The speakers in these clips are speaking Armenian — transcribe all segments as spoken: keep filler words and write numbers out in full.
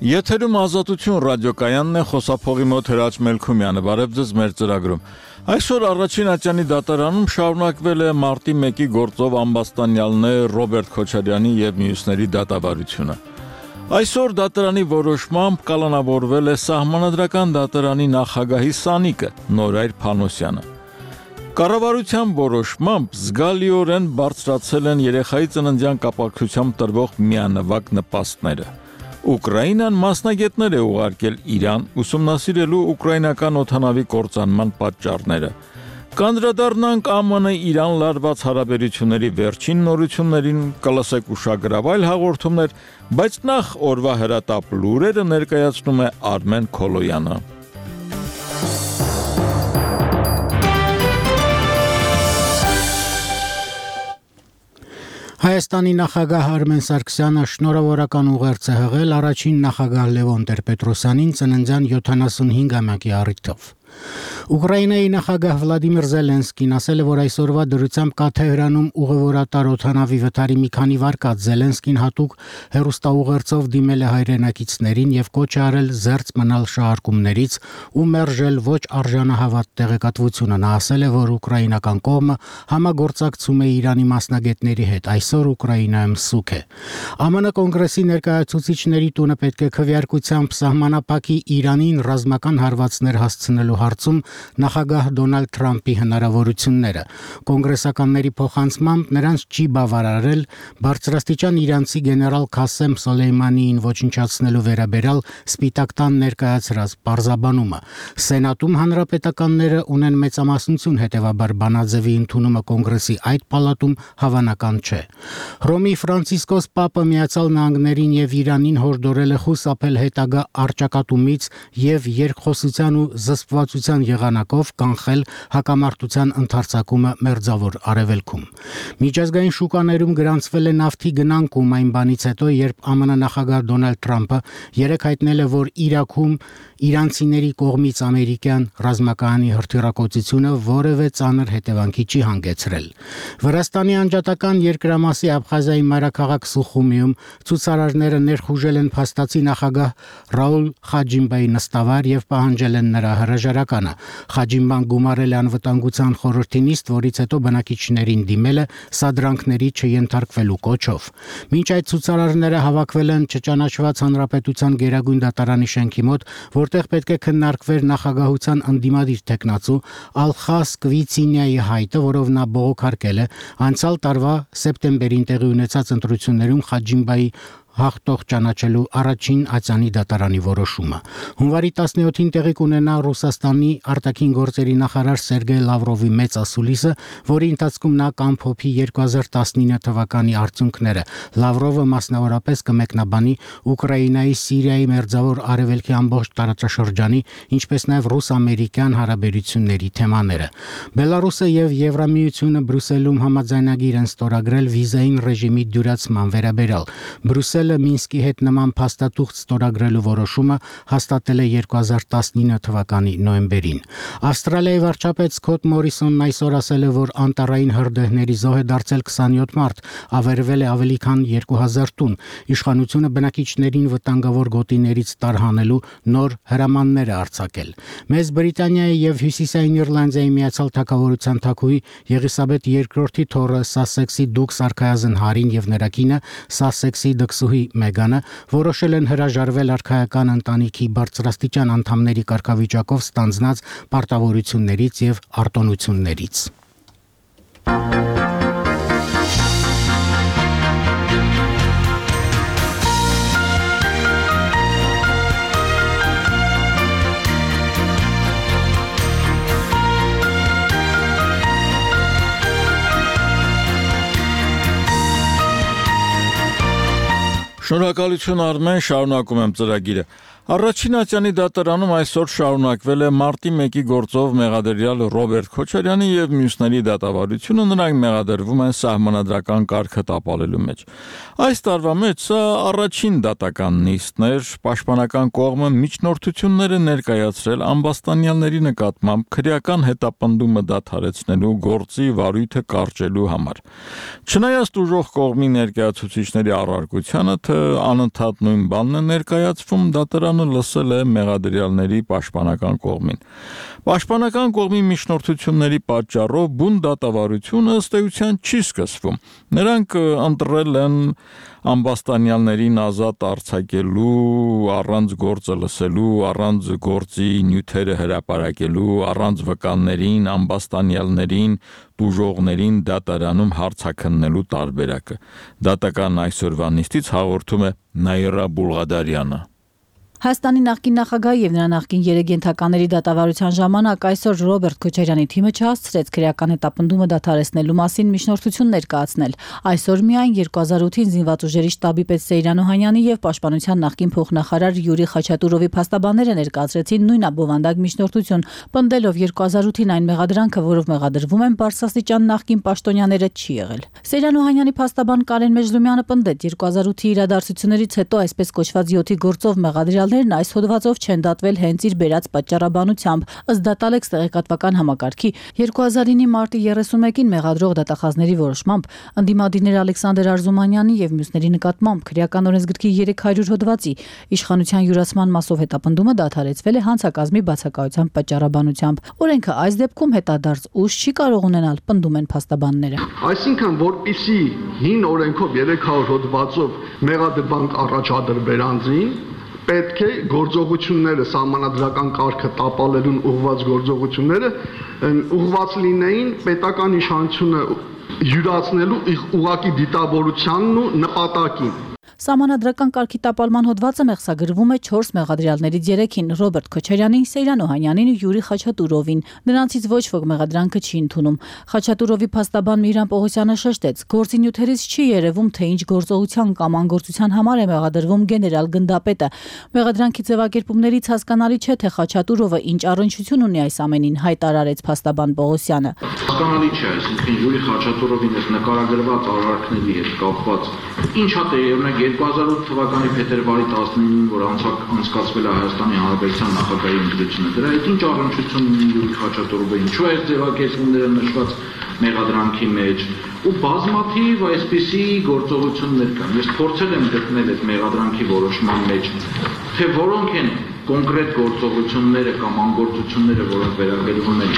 Եթերում Ազատություն ռադիոկայանն է, խոսափողի մոտ Հրաչ Մելքումյանը, բարև ձեզ մեր ծրագրում։ Այսօր առաջին ատյանի դատարանում շարունակվել է մարտի մեկի գործով ամբաստանյալներ Ռոբերտ Քոչարյանի և մյուսների դատավարությունը։ Այսօր դատարանի որոշմամբ կալանավորվել է Սահմանադրական դատարանի նախագահի սանիկը Նորայր Փանոսյանը։ Կառավարության որոշմամբ զգալիորեն բարձրացել են երեխայի ծննդյան կապակցությամբ տրվող միանվագ նպաստները։ Ուկրաինան մասնագետներ է ուղարկել Իրան ուսումնասիրելու ուկրաինական օդանավի կործանման պատճառները։ Կանդրադառնանք ԱՄՆ-Իրան լարված հարաբերությունների վերջին նորություններին, կլսեք ուշագրավ հաղորդումներ, բայց նախ օրվա հրատապ լուրերը ներկայացնում է Արմեն Քոլոյանը։ Հայաստանի նախագահ Արմեն Սարգսյանը շնորհավորական ուղերձ է հղել առաջին նախագահ Լևոն Տեր-Պետրոսյանին ծննդյան յոթանասունհինգամյակի առիթով։ Ուկրաինայի նախագահ Վլադիմիր Զելենսկին ասել է, որ այսօրվա դրությամբ կա Թեհրանում ուղևորատար օդանավի վթարի մի քանի վարկած։ Զելենսկին հատուկ հեռուստաուղերձով դիմել է հայրենակիցներին եւ կոչ է արել զերծ մնալ շահարկումներից ու մերժել ոչ արժանահավատ տեղեկատվությունը։ Նա ասել է, որ ուկրաինական կողմը համագործակցում է Իրանի մասնագետների հետ։ Այսօր Ուկրաինայում սուկ է։ ԱՄՆ կոնգրեսի ներկայացուցիչների տունը պետք է քվեարկությամբ սահմանափակի Իրանին ռազմական հարվածներ հասցնելու հարցում նախագահ Դոնալդ Թրամփի հնարավորությունները։ Կոնգրեսականների փոխանցմամբ նրանց չի բավարարել բարձրաստիճան իրանցի գեներալ Քասեմ Սոլեյմանիին ոչնչացնելու վերաբերյալ Սպիտակ տան ներկայացրած պարզաբանումը։ Սենատում հանրապետականները ունեն մեծամասնություն, հետևաբար բանաձևի ընդունումը կոնգրեսի այդ պալատում հավանական չէ։ Հռոմի Ֆրանցիսկոս Պապը Միացյալ Նահանգներին եւ Իրանին հորդորել է խուսափել հետագա առճակատումից եւ երկխոսության ու զսպվածության եղանակով կանխել հակամարտության ընդարձակումը Մերձավոր Արևելքում։ Միջազգային շուկաներում գրանցվել է նավթի գնանկում այն բանից հետո, երբ ԱՄՆ նախագահ Դոնալդ Թրամփը երեկ հայտնել է, որ Իրաքում իրանցիների կողմից ամերիկյան ռազմակայանի հրթիռակոծությունը որևէ ծանր հետևանքի չի հանգեցրել։ Վրաստանի անջատական երկրամասի Աբխազիայի մայրաքաղաք Սուխումիում ցուցարարները ներխուժել են փաստացի նախագահ Ռաուլ Խաջիմբայի նստավար եւ պահանջել են նրա հրաժարականը։ Խաջիմբան գումարել է անվտանգության խորհրդի նիստ, որից հետո բնակիչներին դիմել է սադրանքների չենթարկվելու կոչով։ Մինչ այդ ցուցարարները հավաքվել են չճանաչված հանրապետության գերագույն դատարանի շենքի մոտ, որտեղ պետք է քննարկվեր նախագահության ընդդիմադիր տեխնացու Ալխաս Կվիցինյայի հայտը, որով նա բողոքարկել է անցյալ տարվա սեպտեմբերին տեղի ունեցած ընտրություններում Խաջիմբայի հաղթող ճանաչելու առաջին ատյանի դատարանի որոշումը։ Հունվարի տասնյոթին տեղի կունենա Ռուսաստանի արտաքին գործերի նախարար Սերգեյ Լավրովի մեծ ասուլիսը, որի ընթացքում նա կամփոփի երկու հազար տասնինը թվականի արդյունքները։ Լավրովը մասնավորապես կմեկնաբանի Ուկրաինայի, Սիրիայի, Մերձավոր Արևելքի ամբողջ տարածաշրջանի, ինչպես նաև ռուս-ամերիկյան հարաբերությունների թեմաները։ Բելարուսը եւ Եվրամիությունը Բրյուսելում համաձայնագիր են ստորագրել վիզային ռեժիմի դյուրացման վերաբերյալ։ Բրյուսելը Մինսկի հետ նման փաստաթուղթ ստորագրելու որոշումը հաստատել է երկու հազար տասնինը թվականի նոյեմբերին։ Ավստրալիայի վարչապետ Սքոթ Մորիսոնն այսօր ասել է, որ անտառային հրդեհների զոհ է դարձել քսանյոթ մարդ, ավերվել է ավելի քան երկու հազար տուն։ Իշխանությունը բնակիչներին վտանգավոր գոտիներից տարհանելու նոր հրամաններ է արձակել։ Մեծ Բրիտանիայի եւ Հյուսիսային Իռլանդիայի Միացյալ Թագավորության թագուհի Եղիսաբեթ երկրորդի թոռը Սասեքսի դուք Սարքայազն Հարին եւ նրա կինը Սասեքսի դքսուհի Մեգանը որոշել են հրաժարվել արքայական ընտանիքի բարձրաստիճան անդամների կարգավիճակով ստանձնած պարտավորություններից եւ արտոնություններից։ Շնորհակալություն Արմեն, շարունակում եմ ծրագիրը։ Առաջին ատյանի դատարանում այսօր շարունակվել է մարտի մեկի գործով մեղադրյալ Ռոբերտ Քոչարյանի եւ մյուսների դատավարությունը, նրանք մեղադրվում են սահմանադրական կարգը տապալելու մեջ։ Այս տարվա մեջ սա առաջին դատական նիստն էր, պաշտպանական կողմը միջնորդություններ է ներկայացրել ամբաստանյալների նկատմամբ քրեական հետապնդումը դադարեցնելու գործի վարույթը կարճելու համար։ Չնայած դժոխք կողմի ներկայացուցիչների առարկությանը, թե անընդհատ նույն բանն է ներկայացվում, դատարան լսել է մեղադրյալների պաշտպանական կողմին։ Պաշտպանական կողմի միջնորդությունների պատճառով բուն դատավարությունը ըստ էության չի սկսվում։ Նրանք ընտրել են ամբաստանյալներին ազատ արձակելու, առանց գործը լսելու, առանց գործի նյութերը հրապարակելու, առանց վկաններին, ամբաստանյալներին, տուժողներին դատարանում հարցաքննելու տարբերակը։ Դատական այսօրվա նիստից հաղորդում է Նաիրա Բուլղադարյանը։ Հայաստանի նախկին նախագահի եւ նրա նախկին երեգենթականների դատավարության ժամանակ այսօր Ռոբերտ Քոչարյանի թիմը չհասցրեց քրեական հետապնդումը դադարեցնելու մասին միջնորդություն ներկայացնել։ Այսօր միայն երկու հազար ութին զինված ուժերի շտաբի պետ Սեյրան Օհանյանի եւ պաշտպանության նախկին փոխնախարար Յուրի Խաչատուրովի փաստաբանները ներկայացրեցին նույն բովանդակ միջնորդություն, պնդելով երկու հազար ութին այն մեղադրանքը, որով մեղադրվում են բարձրաստիճան նախկին պաշտոնյաները, չի եղել։ Սեյրան Օհանյանի փաստաբան Կարեն Մեջլումյանը պնդեց երկու հազար ութի իրադարձություններից հետո այսպես կոչված յոթի գործով մեղադրյալներն այս հոդվածով չեն դատվել հենց իր բերած պատճառաբանությամբ, ըստ Դատալեքս տեղեկատվական համակարգի երկու հազար ինի մարտի երեսունմեկին մեղադրող դատախազների որոշմամբ ընդդիմադիրներ Ալեքսանդր Արզումանյանի եւ մյուսների նկատմամբ քրեական օրենսգրքի երեք հարյուր հոդվածի իշխանության յուրացման մասով հետապնդումը դադարեցվել է հանցակազմի բացակայության պատճառաբանությամբ։ Օրենքը այս դեպքում հետադարձ ուժ չի կարող ունենալ, պնդում են փաստաբանները։ Այսինքն, որպիսի հին օրենքով երեք հարյուր հոդվածով մեղադրվանք առաջադրվեր անձին, պետք է գործողությունները սահմանադրական կարգը տապալելուն ուղղված գործողությունները ուղղված լինեին պետական իշխանությունը յուրացնելու ուղղակի դիտավորությանն ու նպատակին։ Սահմանադրական կարգի տապալման հոդվածը մեղսագրվում է չորս մեղադրյալներից երեքին՝ Ռոբերտ Քոչարյանին, Սեյրան Օհանյանին ու Յուրի Խաչատուրովին։ Նրանցից ոչ ոք մեղադրանքը չի ընդունում։ Խաչատուրովի փաստաբան Միհրան Պողոսյանը շեշտեց. գործի նյութերից չի երևում, թե ինչ գործողության կամ անգործության համար է մեղադրվում գեներալ գնդապետը։ Մեղադրանքի ձևակերպումներից հասկանալի չէ, թե Խաչատուրովը ինչ առնչություն ունի այս ամենին, հայտարարեց փաստաբան Պողոսյանը։ Հասկանալի չէ, այսինքն Յուրի Խաչատուրովին այս նկարագրված արարքների հետ կապված ինչա տերևնակ երկու հազար ութ թվականի փետրվարի տասնինին, որ անցկացվել է Հայաստանի Հանրապետության նախագահի ընտրությունը, դրա հետ ինչ առնչություն ունի Յուրի Խաչատուրովը, ինչու է այս ձևակերպումները նշված մեղադրանքի մեջ, ու բազմաթիվ այսպիսի գործողություններ կան։ Ես փորձել եմ գտնել այդ մեղադրանքի որոշման մեջ, թե որոնք են կոնկրետ գործողությունները կամ անգործությունները, որոնք վերաբերվում են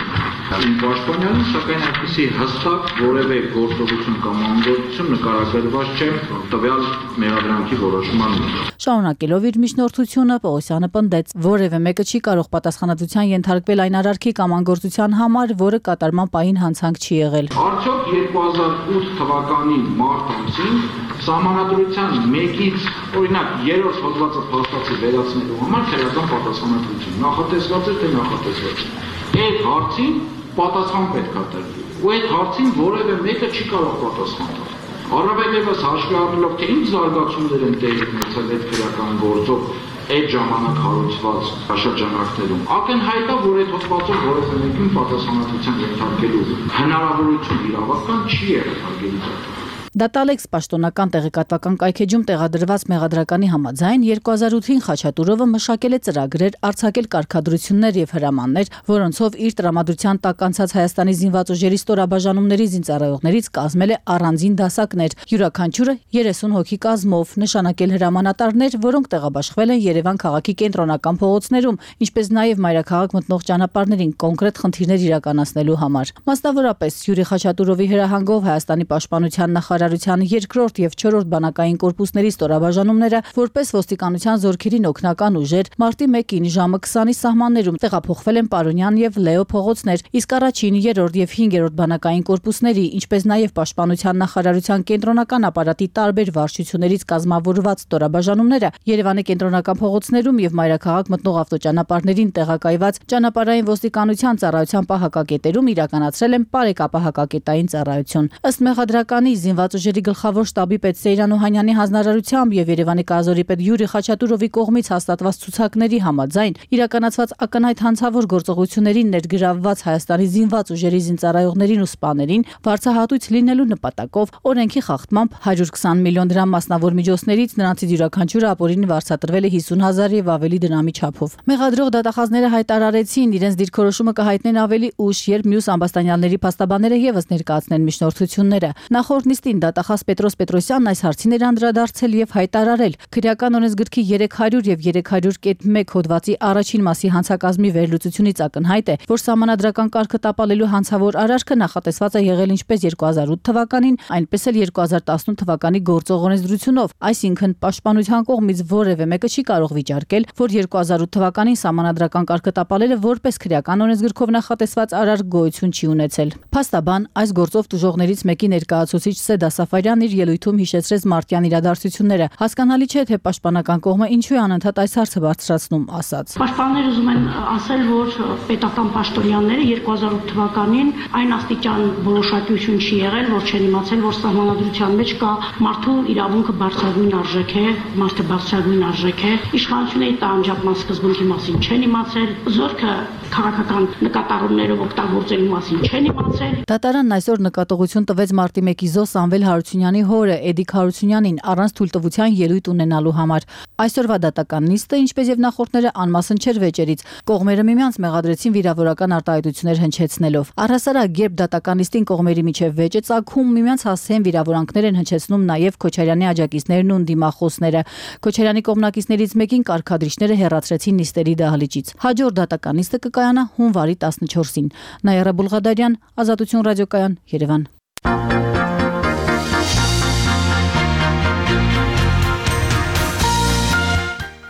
իմ պաշտպանյանին, սակայն այդպիսի հստակ որևէ գործողություն կամ անգործություն նկարագրված չէ տվյալ մեղադրանքի որոշման մեջ։ Շարունակելով իր միջնորդությունը, Պողոսյանը պնդեց, որևէ մեկը չի կարող պատասխանատվության ենթարկվել այն արարքի կամ անգործության համար, որը կատարման պահին հանցանք չի եղել։ Արդյոք երկու հազար ութ թվականի մարտ ամսին Սահմանադրության մեկից, օրինակ, երրորդ հոդվածը փաստացի վերացնելու համար քրեական պատասխանատվություն նախատեսված է, թե նախատեսված չէ։ Այդ հարցին պատասխան պետք է տրվի։ Ու այդ հարցին որևէ մեկը չի կարող պատասխանել։ Առավել ևս հաշվի առնելով, թե ինչ զարգացումներ են տեղի ունեցել այդ քրեական գործով այդ ժամանակ հարուցված շրջանակներում, ակնհայտ է, որ այդ հոդվածով որևէ մեկին պատասխանատվության ենթարկելու հնարավորություն իրավական չի եղել, հարգելի դատող։ Դատալեքս պաշտոնական տեղեկատվական կայքեջում տեղադրված մեղադրականի համաձայն երկու հազար ութին Խաչատուրովը մշակել է ծրագրեր, արձակել կարգադրություններ եւ հրամաններ, որոնցով իր տրամադրության տակ անցած Հայաստանի զինված ուժերի ստորաբաժանումների զինծառայողներից կազմել է առանձին դասակներ, յուրաքանչյուրը երեսուն հոգի կազմով, նշանակել հրամանատարներ, որոնք տեղաբաշխվել են Երևան քաղաքի կենտրոնական փողոցներում, ինչպես նաեւ մայրաքաղաք մտնող ճանապարհներին կոնկրետ խնդիրներ իրականացնելու համար։ Մասնավորապես Յուրի Խաչատուրովի հրահանգով Հայաստանի պաշտպանության նախարարության երկրորդ եւ չորրորդ բանակային կորպուսների ստորաբաժանումները որպես ոստիկանության զորքերին օգնական ուժեր մարտի մեկին ժամը քսանի սահմաններում տեղափոխվել են Պարոնյան եւ Լեո փողոցներ, իսկ առաջին, երրորդ եւ հինգերորդ բանակային կորպուսների, ինչպես նաեւ պաշտպանության նախարարության կենտրոնական ապարատի տարբեր վարչություններից կազմավորված ստորաբաժանումները Երևանի կենտրոնական փողոցներում եւ մայրաքաղաք մտնող ավտոճանապարհներին տեղակայված ճանապարհային ոստիկանության ծառայության պահակակետերում իրականացրել են բարեկապահակակետային ծառայություն։ Ըստ մեղադրականի զինված ուժերի գլխավոր շտաբի պետ Սեյրան Օհանյանի հանձնարարությամբ եւ Երևանի կազորի պետ Յուրի Խաչատուրովի կողմից հաստատված ցուցակների համաձայն իրականացված ակնհայտ հանցավոր գործողություններին ներգրավված Հայաստանի զինված ուժերի զինծառայողներին ու սպաներին վարձահատույց լինելու նպատակով օրենքի խախտմամբ հարյուր քսան միլիոն դրամ մասնավոր միջոցներից նրանցից յուրաքանչյուրը ապօրինի վարձատրվել է հիսուն հազար եւ ավելի դրամի չափով։ Մեղադրող դատախազները հայտարարեցին իրենց դիրքորոշումը կհայտնեն ավելի ուշ, երբ մյուս ամբաստանյալների փաստաբանները եւս ներկայացնեն միջնորդությունները։ Նախորդ նիստին դատախազ Պետրոս Պետրոսյանն այս հարցին էր անդրադարձել եւ հայտարարել. քրեական օրենսգրքի երեք հարյուր եւ երեք հարյուր կետ մեկ հոդվածի առաջին մասի հանցակազմի վերլուծությունից ակնհայտ է, որ սահմանադրական կարգը տապալելու հանցավոր արարքը նախատեսված է եղել ինչպես երկու հազար ութ թվականին, այնպես էլ երկու հազար տասնութ թվականի գործող օրենսդրությունով, այսինքն պաշտպանության կողմից որևէ մեկը չի կարող վիճարկել, որ երկու հազար ութ թվականին սահմանադրական կարգը տապալելը որպես քրեական օրենսգրքով նախատեսված արարք գոյություն չի ունեցել։ Փաստաբան այս գործով տուժողներից մեկի ներկայացուցիչ Սեդա Սաֆարյանն իր ելույթում հիշեցրեց մարտյան իրադարձությունները։ Հասկանալի չէ, թե պաշտպանական կողմը ինչու է անընդհատ այս հարցը բարձրացնում, ասաց. Պաշտպանները ուզում են ասել, որ պետական պաշտոնյաները երկու հազար ութ թվականին այն աստիճան որոշակիություն չի եղել, որ չեն իմացել, որ սահմանադրության մեջ կա մարդու իրավունքը բարձրագույն արժեք է, մարդը բարձրագույն արժեք է, իշխանությունների տանջապման սկզբունքի մասին չեն իմացել, զորքը քաղաքական նկատառումներով օգտագործելու մասին չեն իմացել։ Դատարանն այսօր նկատողություն տվեց մարտի մեկի զոհ Սամվել Հարությունյանի հորը Էդիկ Հարությունյանին առանց թույլտվության ելույթ ունենալու համար։ Այսօրվա դատական նիստը, ինչպես եւ նախորդները, անմասն չէր վեճերից։ Կողմերը միմյանց մեղադրեցին վիրավորական արտահայտություններ հնչեցնելով։ Առհասարակ, երբ դատական նիստին կողմերի միջև վեճ է ծագում, միմյանց հասցեն վիրավորանքներ են հնչեցնում նաեւ Քոչարյանի աջակիցներն ու դիմախոսները։ Քոչարյանի կողմնակիցներից մեկին կարգադրիչները հեռացրեցին նիստերի դահլիճից։ Հաջորդ դատական նիստը կկայանա հունվարի տասնչորսին։ Նաիրա Բուլղադարյան, Ազատություն ռադիոկայան, Երևան։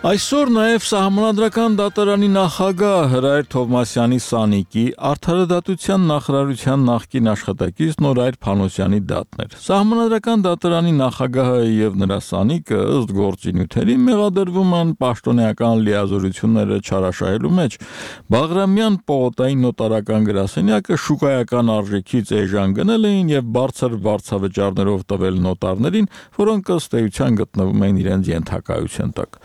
Այսօր նաև Սահմանադրական դատարանի նախագահ Հրայր Թովմասյանի Սանիկի, Արդարադատության նախարարության նախկին աշխատակից Նորայր Փանոսյանի դատն էր։ Սահմանադրական դատարանի նախագահը եւ նրա Սանիկը ըստ գործի նյութերի մեղադրվում են պաշտոնեական լիազորությունները չարաշահելու մեջ։ Բաղրամյան պողոտային նոտարական գրասենյակը շուկայական արժեքից էժան գնել էին եւ բարձր վարձավճարներով տվել նոտարներին, որոնք ըստ էության գտնվում են իրենց ենթակայության տակ։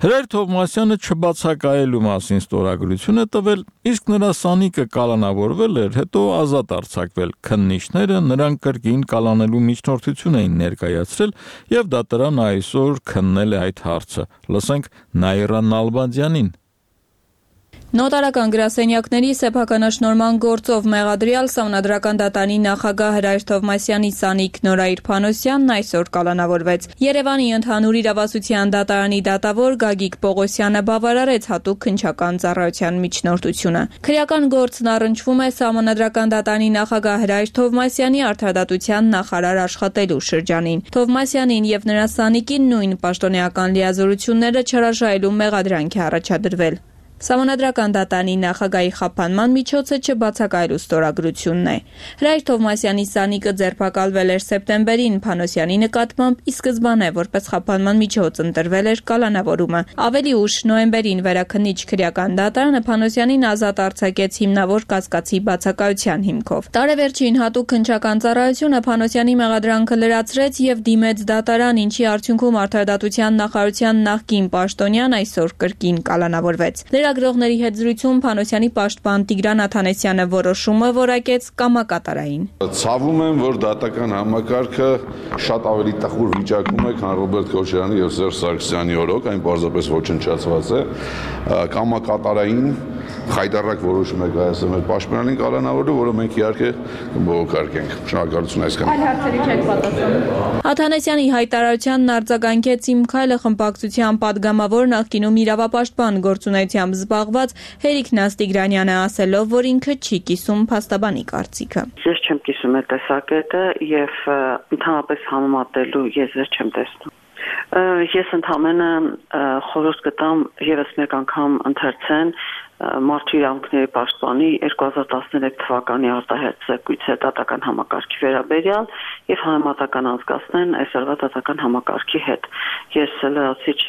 Հրայր Թովմասյանը չբացակայելու մասին ստորագրություն է տվել, իսկ նրա Սանիկը կալանավորվել էր, հետո ազատ արձակվել։ Քննիչները նրան կրկին կալանելու միջնորդություն էին ներկայացրել եւ դատարանը այսօր քննել է այդ հարցը։ Լսենք Նաիրա Նալբանդյանին։ Նոտարական գրասենյակների սեփականաշնորհման գործով մեղադրյալ Սահմանադրական դատարանի նախագահ Հրայր Թովմասյանի Սանիկ Նորայր Փանոսյանն այսօր կալանավորվեց։ Երևանի ընդհանուր իրավասության դատարանի դատավոր Գագիկ Պողոսյանը բավարարեց հատուկ քննչական ծառայության միջնորդությունը։ Քրեական գործն առնչվում է Սահմանադրական դատարանի նախագահ Հրայր Թովմասյանի արդարադատության նախարար աշխատելու շրջանին։ Թովմասյանին եւ նրա Սանիկին նույն պաշտոնեական լիազորությունները չարաշահելու մեղադրանք է առաջադրվել։ Սահմանադրական դատարանի նախագահի խափանման միջոցը չբացակայելու ստորագրությունն է։ Հրայր Թովմասյանի Սանիկը ձերբակալվել էր սեպտեմբերին Փանոսյանի նկատմամբ, ի սկզբանե որպես խափանման միջոց ընտրվել էր կալանավորումը։ Ավելի ուշ նոյեմբերին վերաքննիչ քրեական դատարանը Փանոսյանին ազատ արձակեց հիմնավոր կասկածի բացակայության հիմքով։ Տարեվերջին հատուկ քննչական ծառայությունը Փանոսյանի մեղադրանքը լրացրեց եւ դիմեց դատարան, ինչի արդյունքում արդարադատության նախարարության նախկին պաշտոնյան այսօր կրկին կալանավորվեց։ Լրագրողների հետ զրույցում Փանոսյանի պաշտպան Տիգրան Աթանեսյանը որոշումը որակեց կամակատարային։ Ցավում եմ, որ դատական համակարգը շատ ավելի տխուր վիճակում է, քան Ռոբերտ Քոչարյանի եւ Սերժ Սարգսյանի օրոք, այն պարզապես ոչնչացված է, կամակատարային խայտառակ որոշում է կայացել մեր պաշտպանին կալանավորելու, որը մենք իհարկե կբողոքարկենք։ Շնորհակալություն այսքան։ Այլ հարցերի չեք պատասխանում։ Աթանեսյանի հայտարարությանն արձագանքեց Իմ քայլը խմբակցության падգամավոր նախկինում իրավապաշտպան գործունեությամբ զբաղված Հերիկ Նաստիգրանյանը ասելով, որ ինքը չի կիսում փաստաբանի կարծիքը։ Ես չեմ կիսում այդ տեսակետը եւ ընդհանրապես համեմատելու եզր չեմ տեսնում։ Ես ընդհանրապես խորհուրդ կտամ եւս մեկ անգամ ընթերցեն Մարդու իրավունքների պաշտպանի երկու հազար տասներեք թվականի արտահայտ զեկույցը դատական համակարգի վերաբերյալ եւ համեմատական անցկացնեն այսօրվա դատական համակարգի հետ։ Ես լրացիչ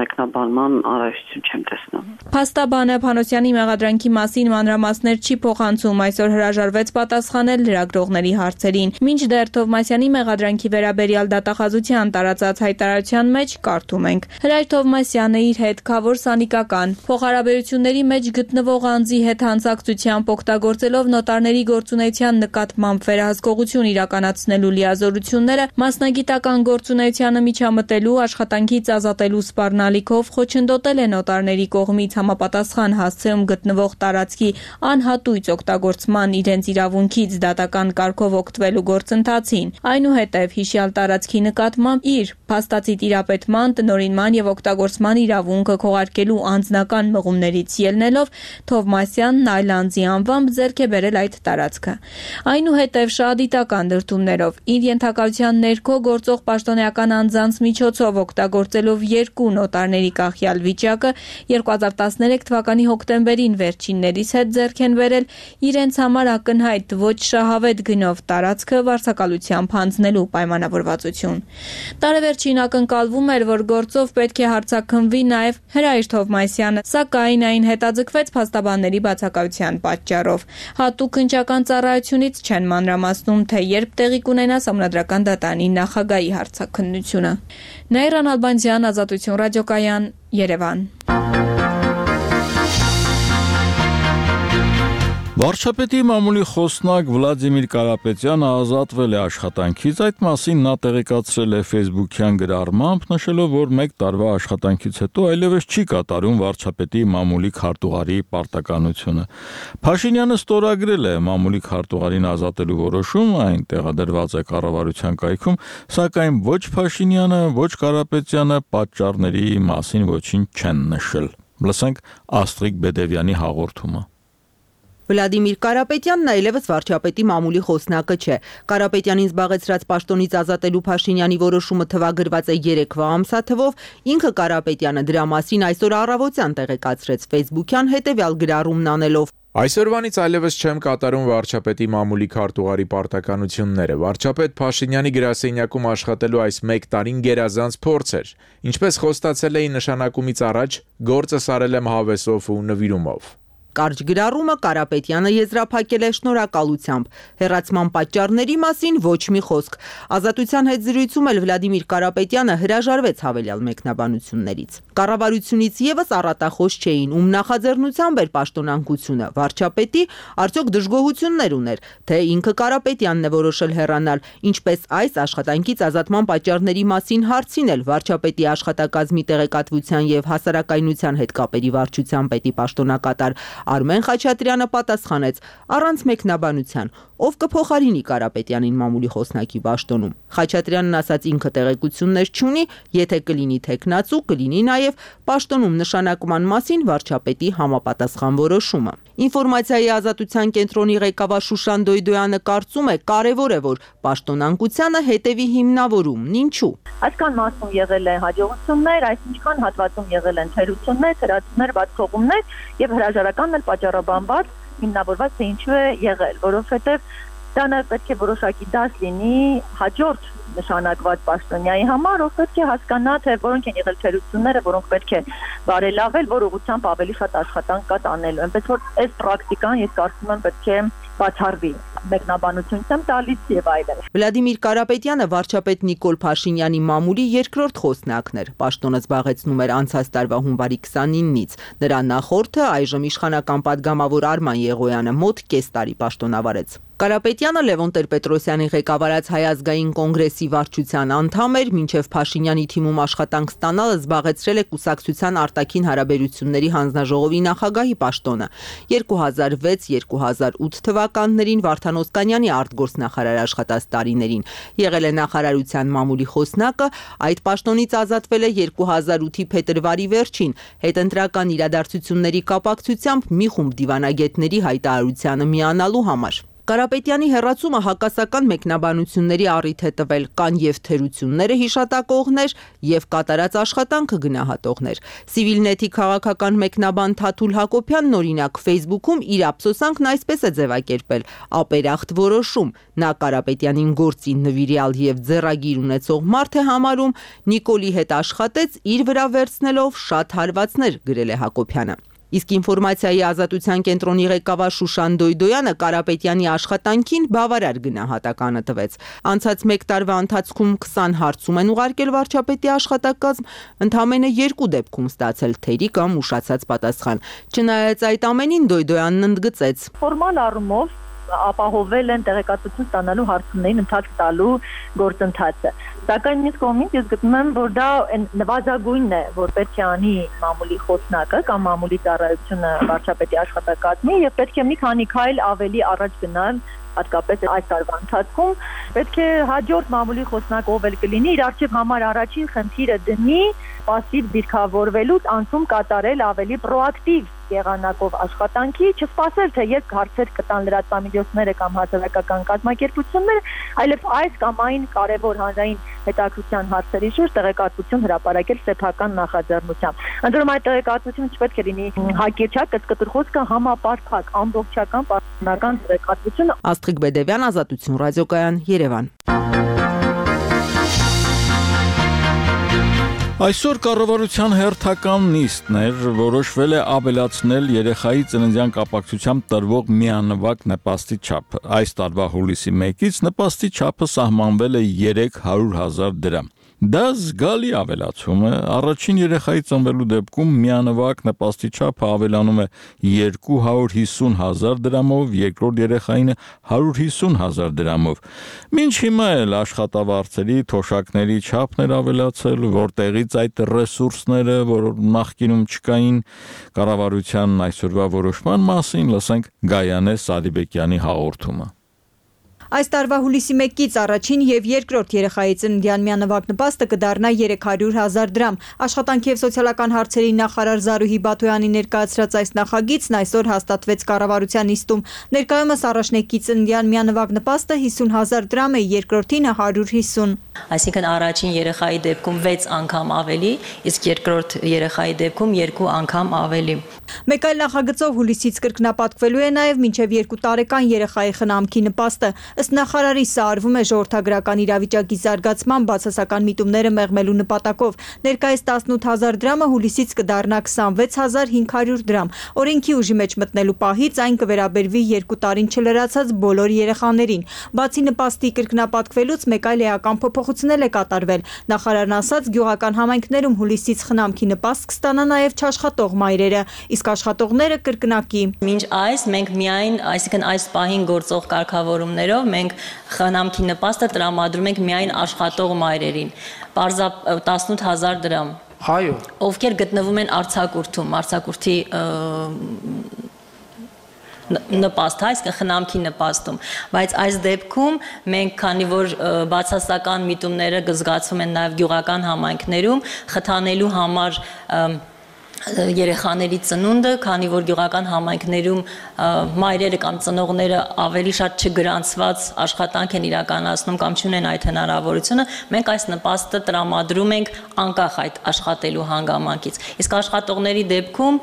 մեկնաբանման առայժմ չեմ տեսնում։ Փաստաբանը Փանոսյանի մեղադրանքի մասին մանրամասներ չի փոխանցում, այսօր հրաժարվեց պատասխանել լրագրողների հարցերին։ Մինչդեռ Թովմասյանի մեղադրանքի վերաբերյալ դատախազության տարածած հայտարարության մեջ կարդում ենք. Հրայր Թովմասյանը իր հետ քավոր սանիկական փոխհարաբերությունների մեջ գտնվող անձի հետ հանցակցությամբ օգտագործելով նոտարների գործունեության նկատմամբ վերահսկողություն իրականացնելու լիազորությունները մասնագիտական գործունեությանը միջամտելու, աշխատանքից ազատելու սպառնալիքով խոչընդոտել է նոտարների կողմից համապատասխան հասցեում գտնվող տարածքի անհատույց օգտագործման իրենց իրավունքից դատական կարգով օգտվելու գործընթացին, այնուհետև հիշյալ տարածքի նկատմամբ իր փաստացի տիրապետման, տնօրինման եւ օգտագործման իրավունքը քողարկելու անձնական մղումներից ելնելով Թովմասյանն այլ անձի անվամբ ձեռք է բերել այդ տարածքը։ Այնուհետև շահադիտական դրդումներով իր ենթակայության ներքո գործող պաշտոնեական անձանց միջոցով օգտագործելով երկու նոտարների կախյալ վիճակը երկու հազար տասներեք թվականի հոկտեմբերին վերջիններիս հետ ձեռք են բերել իրենց համար ակնհայտ ոչ շահավետ գնով տարածքը վարձակալությամբ հանձնելու պայմանավորվածություն։ Տարեվերջին ակնկալվում էր, որ գործով պետք է հարձակվի նաև Հրայր Թովմասյանը, սակայն այն հետաձգվեց փաստաբանների բացակայության պատճառով։ Հատուկ հնչական ծառայությունից չեն մանրամասնում, թե երբ տեղի կունենա Սահմանադրական դատարանի նախագահի հարցաքննությունը։ Նաիրան Ալբանդյան, Ազատություն ռադիոկայան, Երևան։ Վարչապետի մամուլի խոսնակ Վլադիմիր Կարապետյանը ազատվել է աշխատանքից, այդ մասին նա տեղեկացրել է Facebook-յան գրառմամբ, նշելով, որ մեկ տարվա աշխատանքից հետո այլևս չի կատարում վարչապետի մամուլի քարտուղարի պարտականությունը։ Փաշինյանը ստորագրել է մամուլի քարտուղարին ազատելու որոշումը, այն տեղադրված է կառավարության կայքում, սակայն ոչ Փաշինյանը, ոչ Կարապետյանը պատճառների մասին ոչինչ չեն նշել։ Լսենք Աստրիկ Բեդևյանի հաղորդումը։ Վլադիմիր Կարապետյանն այլևս վարչապետի մամուլի խոսնակը չէ։ Կարապետյանին զբաղեցրած պաշտոնից ազատելու Փաշինյանի որոշումը թվագրված է երեկվա ամսաթվով, ինքը Կարապետյանը դրա մասին այսօր առավոտյան տեղեկացրեց Facebook-յան հետևյալ գրառումն անելով. Այսօրվանից այլևս չեմ կատարում վարչապետի մամուլի քարտուղարի պարտականությունները։ Վարչապետ Փաշինյանի գրասենյակում աշխատելու այս մեկ տարին գերազանց փորձ էր։ Ինչպես խոստացել էի նշանակումից առաջ, գործը սարել եմ հավեսով ու նվիրումով։ Կարճ գրառումը Կարապետյանը եզրափակել է շնորհակալությամբ։ Հեռացման պատճառների մասին ոչ մի խոսք։ Ազատության հետ զրույցում էլ Վլադիմիր Կարապետյանը հրաժարվեց հավելյալ մեկնաբանություններից։ Կառավարությունից եւս առատախոս չէին, ում նախաձեռնությամբ էր պաշտոնանկությունը։ Վարչապետի արդյոք դժգոհություններ ուներ, թե ինքը Կարապետյանն է որոշել հեռանալ, ինչպես այս աշխատանքից ազատման պատճառների մասին հարցին էլ վարչապետի աշխատակազմի տեղեկատվության եւ հասարակայնության հետ կապերի վարչության պետի պաշտոնակատար Արմեն Խաչատրյանը պատասխանեց առանց մեկնաբանության, ով կփոխարինի Կարապետյանին մամուլի խոսնակի պաշտոնում։ Խաչատրյանն ասաց ինքը տեղեկություններ չունի, եթե կլինի թեկնածու, կլինի նաև պաշտոնում նշանակման մասին վարչապետի համապատասխան որոշումը։ Ինֆորմացիայի ազատության կենտրոնի ղեկավար Շուշան Դոյդոյանը կարծում է կարևոր է, որ պաշտոնանկությանը հետևի հիմնավորումն ինչու։ Այսքան մասում եղել են հաջողություններ, այսինքան հատվածում եղել են թերություններ, թերացումներ, բացողումներ եւ հրաժարականն էլ պատճառաբանված հիմնավորված թե ինչու է եղել, որովհետեւ դա նաև պետք է որոշակի դաս լինի հաջորդ նշանակված պաշտոնյայի համար, ով պետք է հասկանա, թե որոնք են եղել թերությունները, որոնք պետք է բարելավել, որ ուղղությամբ ավելի շատ աշխատանք կա տանելու։ Այնպես որ այս պրակտիկան ես կարծում եմ պետք է բացառվի, մեկնաբանություն եմ տալիս եւ այլն։ Վլադիմիր Կարապետյանը վարչապետ Նիկոլ Փաշինյանի մամուլի երկրորդ խոսնակն էր։ Պաշտոնը զբաղեցնում էր անցած տարվա հունվարի քսանինից։ Նրա նախորդը այժմ իշխանական падգամավոր Արման Եղոյանը մոտ կես տարի պաշտոնավարեց։ Կարապետյանը Լևոն Տեր-Պետրոսյանի ղեկավարած Հայ ազգային կոնգրեսի վարչության անդամ էր, մինչև Փաշինյանի թիմում աշխատանք ստանալը զբաղեցրել է կուսակցության արտաքին հարաբերությունների հանձնաժողովի նախագահի պաշտոնը։ երկու հազար վեց երկու հազար ութ թվականներին Վարդան Օսկանյանի արտգործնախարար աշխատած տարիներին եղել է նախարարության մամուլի խոսնակը, այդ պաշտոնից ազատվել է երկու հազար ութի փետրվարի վերջին հետընտրական իրադարձությունների կապակցությամբ մի խումբ դիվանագետների հայտարարությանը միանալու համար։ Կարապետյանի հեռացումը հակասական մեկնաբանությունների առիթ է տվել, կան եւ թերությունները հիշատակողներ եւ կատարած աշխատանքը գնահատողներ։ Civilnet-ի քաղաքական մեկնաբան Թաթուլ Հակոբյանն օրինակ Facebook-ում իր ափսոսանքն այսպես է ձևակերպել. ապերախտ որոշում, նա Կարապետյանին գործի նվիրյալ եւ ձեռագիր ունեցող մարդ է համարում, Նիկոլի հետ աշխատեց իր վրա վերցնելով շատ հարվածներ, գրել է Հակոբյանը։ Իսկ ինֆորմացիայի ազատության կենտրոնի ղեկավար Շուշան Դոյդոյանը Կարապետյանի աշխատանքին բավարար գնահատականը տվեց։ Անցած մեկ տարվա ընթացքում քսան հարցում են ուղարկել վարչապետի աշխատակազմ, ընդամենը երկու դեպքում ստացել թերի կամ ուշացած պատասխան։ Չնայած այդ ամենին Դոյդոյանն ընդգծեց. Ֆորմալ առումով ապահովել են տեղեկատվություն ստանալու հարցումներին ընթաց տալու գործընթացը։ Սակայն մյուս կողմից ես գտնում եմ, որ դա նվազագույնն է, որ պետք է անի մամուլի խոսնակը կամ մամուլի ծառայությունը վարչապետի աշխատակազմի եւ պետք է մի քանի քայլ ավելի առաջ գնալ, հատկապես այս տարվա ընթացքում պետք է հաջորդ մամուլի խոսնակ ով էլ կլինի, իր արժեվ համար առաջին խնդիրը դնի պասիվ դիրքավորվելուց անցում կատարել ավելի պրոակտիվ եղանակով աշխատանքի, չսպասել թե երբ հարցեր կտան լրատվամիջոցները կամ հասարակական կազմակերպությունները, այլև այս կամ այն կարևոր հանրային հետաքրքրության հարցերի շուրջ տեղեկատվություն հրապարակել սեփական նախաձեռնությամբ։ Ընդ որում այդ տեղեկատվությունը չպետք է լինի հակիրճակ, կծկտուր խոսքը համապարփակ, ամբողջական պաշտոնական տեղեկատվություն։ Աստղիկ Բեդևյան, Ազատություն ռադիոկայան, Երևան։ Այսօր կառավարության հերթական նիստն էր, որոշվել է ավելացնել երեխայի ծննդյան կապակցությամբ տրվող միանվագ նպաստի չափը։ Այս տարվա հուլիսի մեկից նպաստի չափը սահմանվել է երեք հարյուր հազար դրամ։ Դա զգալի ավելացում է, առաջին երեխայի ծնվելու դեպքում միանվագ նպաստի չափը ավելանում է երկու հարյուր հիսուն հազար դրամով, երկրորդ երեխային հարյուր հիսուն հազար դրամով։ Մինչ հիմա էլ աշխատավարձերի, թոշակների չափն էր ավելացել, որտեղից այդ ռեսուրսները, որ նախկինում չկային, կառավարության այսօրվա որոշման մասին լսենք Գայանե Սարիբեկյանի հաղորդումը։ Այս տարվա հուլիսի մեկից առաջին եւ երկրորդ երեխայի ծննդյան միանվագ նպաստը կդառնա երեք հարյուր հազար դրամ։ Աշխատանքի եւ սոցիալական հարցերի նախարար Զարուհի Բաթոյանի ներկայացրած այս նախագիծն այսօր հաստատվեց կառավարության նիստում։ Ներկայումս առաջնեկի ծննդյան միանվագ նպաստը հիսուն հազար դրամ է, երկրորդինը հարյուր հիսուն։ Այսինքն առաջին երեխայի դեպքում վեց անգամ ավելի, իսկ երկրորդ երեխայի դեպքում երկու անգամ ավելի։ Մեկ այլ նախագծով հուլիսից կրկնապատկվելու է նաև մինչև երկու տարեկան երեխայի խնամքի նպաստը։ Ըստ նախարարի սա արվում է ժողովրդագրական իրավիճակի զարգացման բացասական միտումները մեղմելու նպատակով։ Ներկայիս տասնութ հազար դրամը հուլիսից կդառնա քսանվեց հազար հինգ հարյուր դրամ։ Օրենքի ուժի մեջ մտնելու պահից այն կվերաբերվի երկու տարին չլրացած բոլոր երեխաներին։ Բացի նպաստի կրկնապատկվելուց մեկ այլ էական փոփոխություն է կատարվել։ Նախարարն ասաց, գյուղական համայնքներում հուլիսից խնամքի նպաստ կստանա նաև չաշխատող մայրերը, իսկ աշխատողները կրկնակի։ Մինչ այս մենք միայն, այսինքն այս պահին գործող կարգավորումներով մենք խնամքի նպաստը տրամադրում ենք միայն աշխատող մայրերին։ Պարզապ տասնութ հազար դրամ։ Այո։ Ովքեր գտնվում են արձակուրդում, արձակուրդի նպաստ, այսինքն խնամքի նպաստում, բայց այս դեպքում մենք, քանի որ բացասական միտումները զգացվում են նաև գյուղական համայնքներում, խթանելու համար երեխաների ծնունդը, քանի որ գյուղական համայնքներում մայրերը կամ ծնողները ավելի շատ չգրանցված աշխատանք են իրականացնում կամ չունեն այդ հնարավորությունը, մենք այս նպաստը տրամադրում ենք անկախ այդ աշխատելու հանգամանքից։ Իսկ աշխատողների դեպքում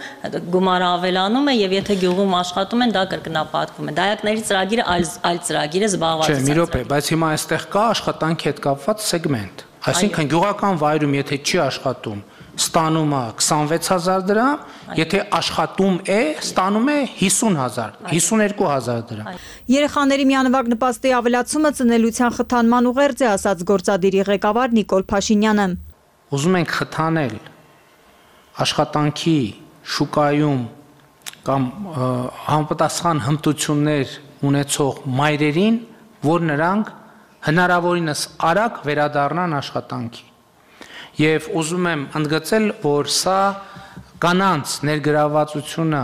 գումարը ավելանում է եւ եթե գյուղում աշխատում են, դա կրկնապատկվում է։ Դայակների ծրագիրը այլ այլ ծրագիր է զբաղվածության։ Չէ, մի րոպե, բայց հիմա այստեղ կա աշխատանքի հետ կապված սեգմենտ։ Այսինքն գյուղական վայրում եթե չի աշխատում, ստանում է քսանվեց հազար դրամ, եթե աշխատում է, ստանում է հիսուն հազար, հիսունյոթ հազար դրամ։ Երեխաների միանվագ նպաստի ավելացումը ծնելիության խթանման ուղերձ է, ասաց գործադիրի ղեկավար Նիկոլ Փաշինյանը։ Ուզում ենք խթանել աշխատանքի շուկայում կամ համապատասխան հմտություններ ունեցող մայրերին, որ նրանք հնարավորինս արագ վերադառնան աշխատանքի։ Եվ ուզում եմ ընդգծել, որ սա կանանց ներգրավվածությունը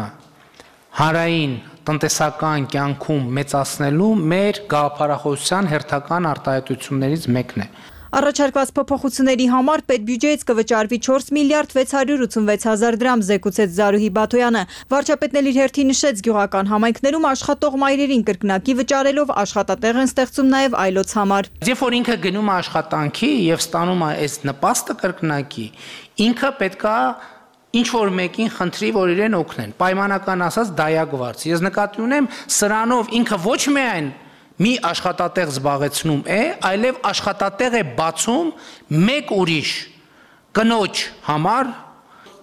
հանրային տնտեսական կյանքում մեծացնելու մեր գաղափարախոսության հերթական արտահայտություններից մեկն է։ Առաջարկված փոփոխությունների համար պետբյուջեից կվճարվի չորս միլիարդ վեց հարյուր ութսունվեց հազար դրամ, զեկուցեց Զարուհի Բաթոյանը։ Վարչապետն էլ իր հերթին նշեց, գյուղական համայնքներում աշխատող մայրերին կրկնակի վճարելով աշխատատեղ են ստեղծում նաև այլոց համար։ Երբ որ ինքը գնում է աշխատանքի եւ ստանում է այս նպաստը կրկնակի, ինքը պետքա ինչ որ մեկին խնդրի, որ իրեն օգնեն։ Պայմանական ասած դայակվարձ։ Ես նկատի ունեմ, սրանով ինքը ոչ միայն մի աշխատատեղ զբաղեցնում է, այլև աշխատատեղ է բացում մեկ ուրիշ կնոջ համար։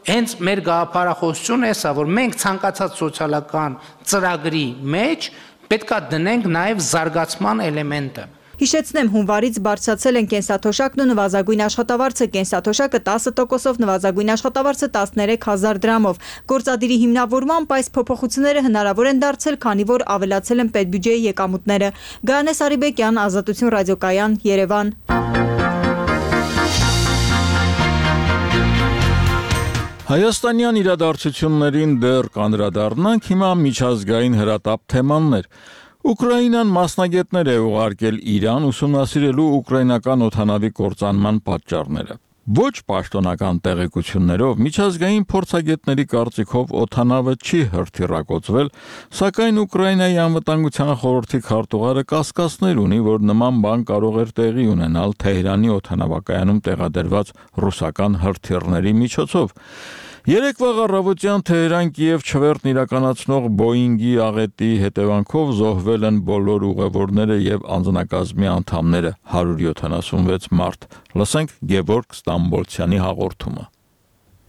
Հենց մեր գաղափարախոսությունը է սա, որ մենք ցանկացած սոցիալական ծրագրի մեջ պետքա դնենք նաև զարգացման էլեմենտը։ Հիշեցնեմ, հունվարից բարձրացել են կենսաթոշակն ու նվազագույն աշխատավարձը, կենսաթոշակը տասը տոկոսով, նվազագույն աշխատավարձը տասներեք հազար դրամով։ Գործադիրի հիմնավորմամբ այս փոփոխությունները հնարավոր են դարձել, քանի որ ավելացել են պետբյուջեի եկամուտները։ Գայանե Սարիբեկյան, Ազատություն ռադիոկայան, Երևան։ Հայաստանյան իրադարձություններին դեռ կանդրադառնանք, հիմա միջազգային հրատապ թեմաններ։ Ուկրաինան մասնագետներ է ուղարկել Իրան ուսումնասիրելու ուկրաինական օդանավի կործանման պատճառները։ Ոչ պաշտոնական տեղեկություններով միջազգային փորձագետների կարծիքով օդանավը չի հրթիռակոծվել, սակայն Ուկրաինայի անվտանգության խորհրդի քարտուղարը կասկածներ ունի, որ նման բան կարող էր տեղի ունենալ Թեհրանի օդանավակայանում տեղադրված ռուսական հրթիռների միջոցով։ Երեկվա առավոտյան Թեհրան-Կիև չվերթն իրականացնող Բոինգի աղետի հետևանքով զոհվել են բոլոր ուղևորները եւ անձնակազմի անդամները, հարյուր յոթանասունվեց մարդ։ Լսենք Գևորգ Ստամբոլցյանի հաղորդումը։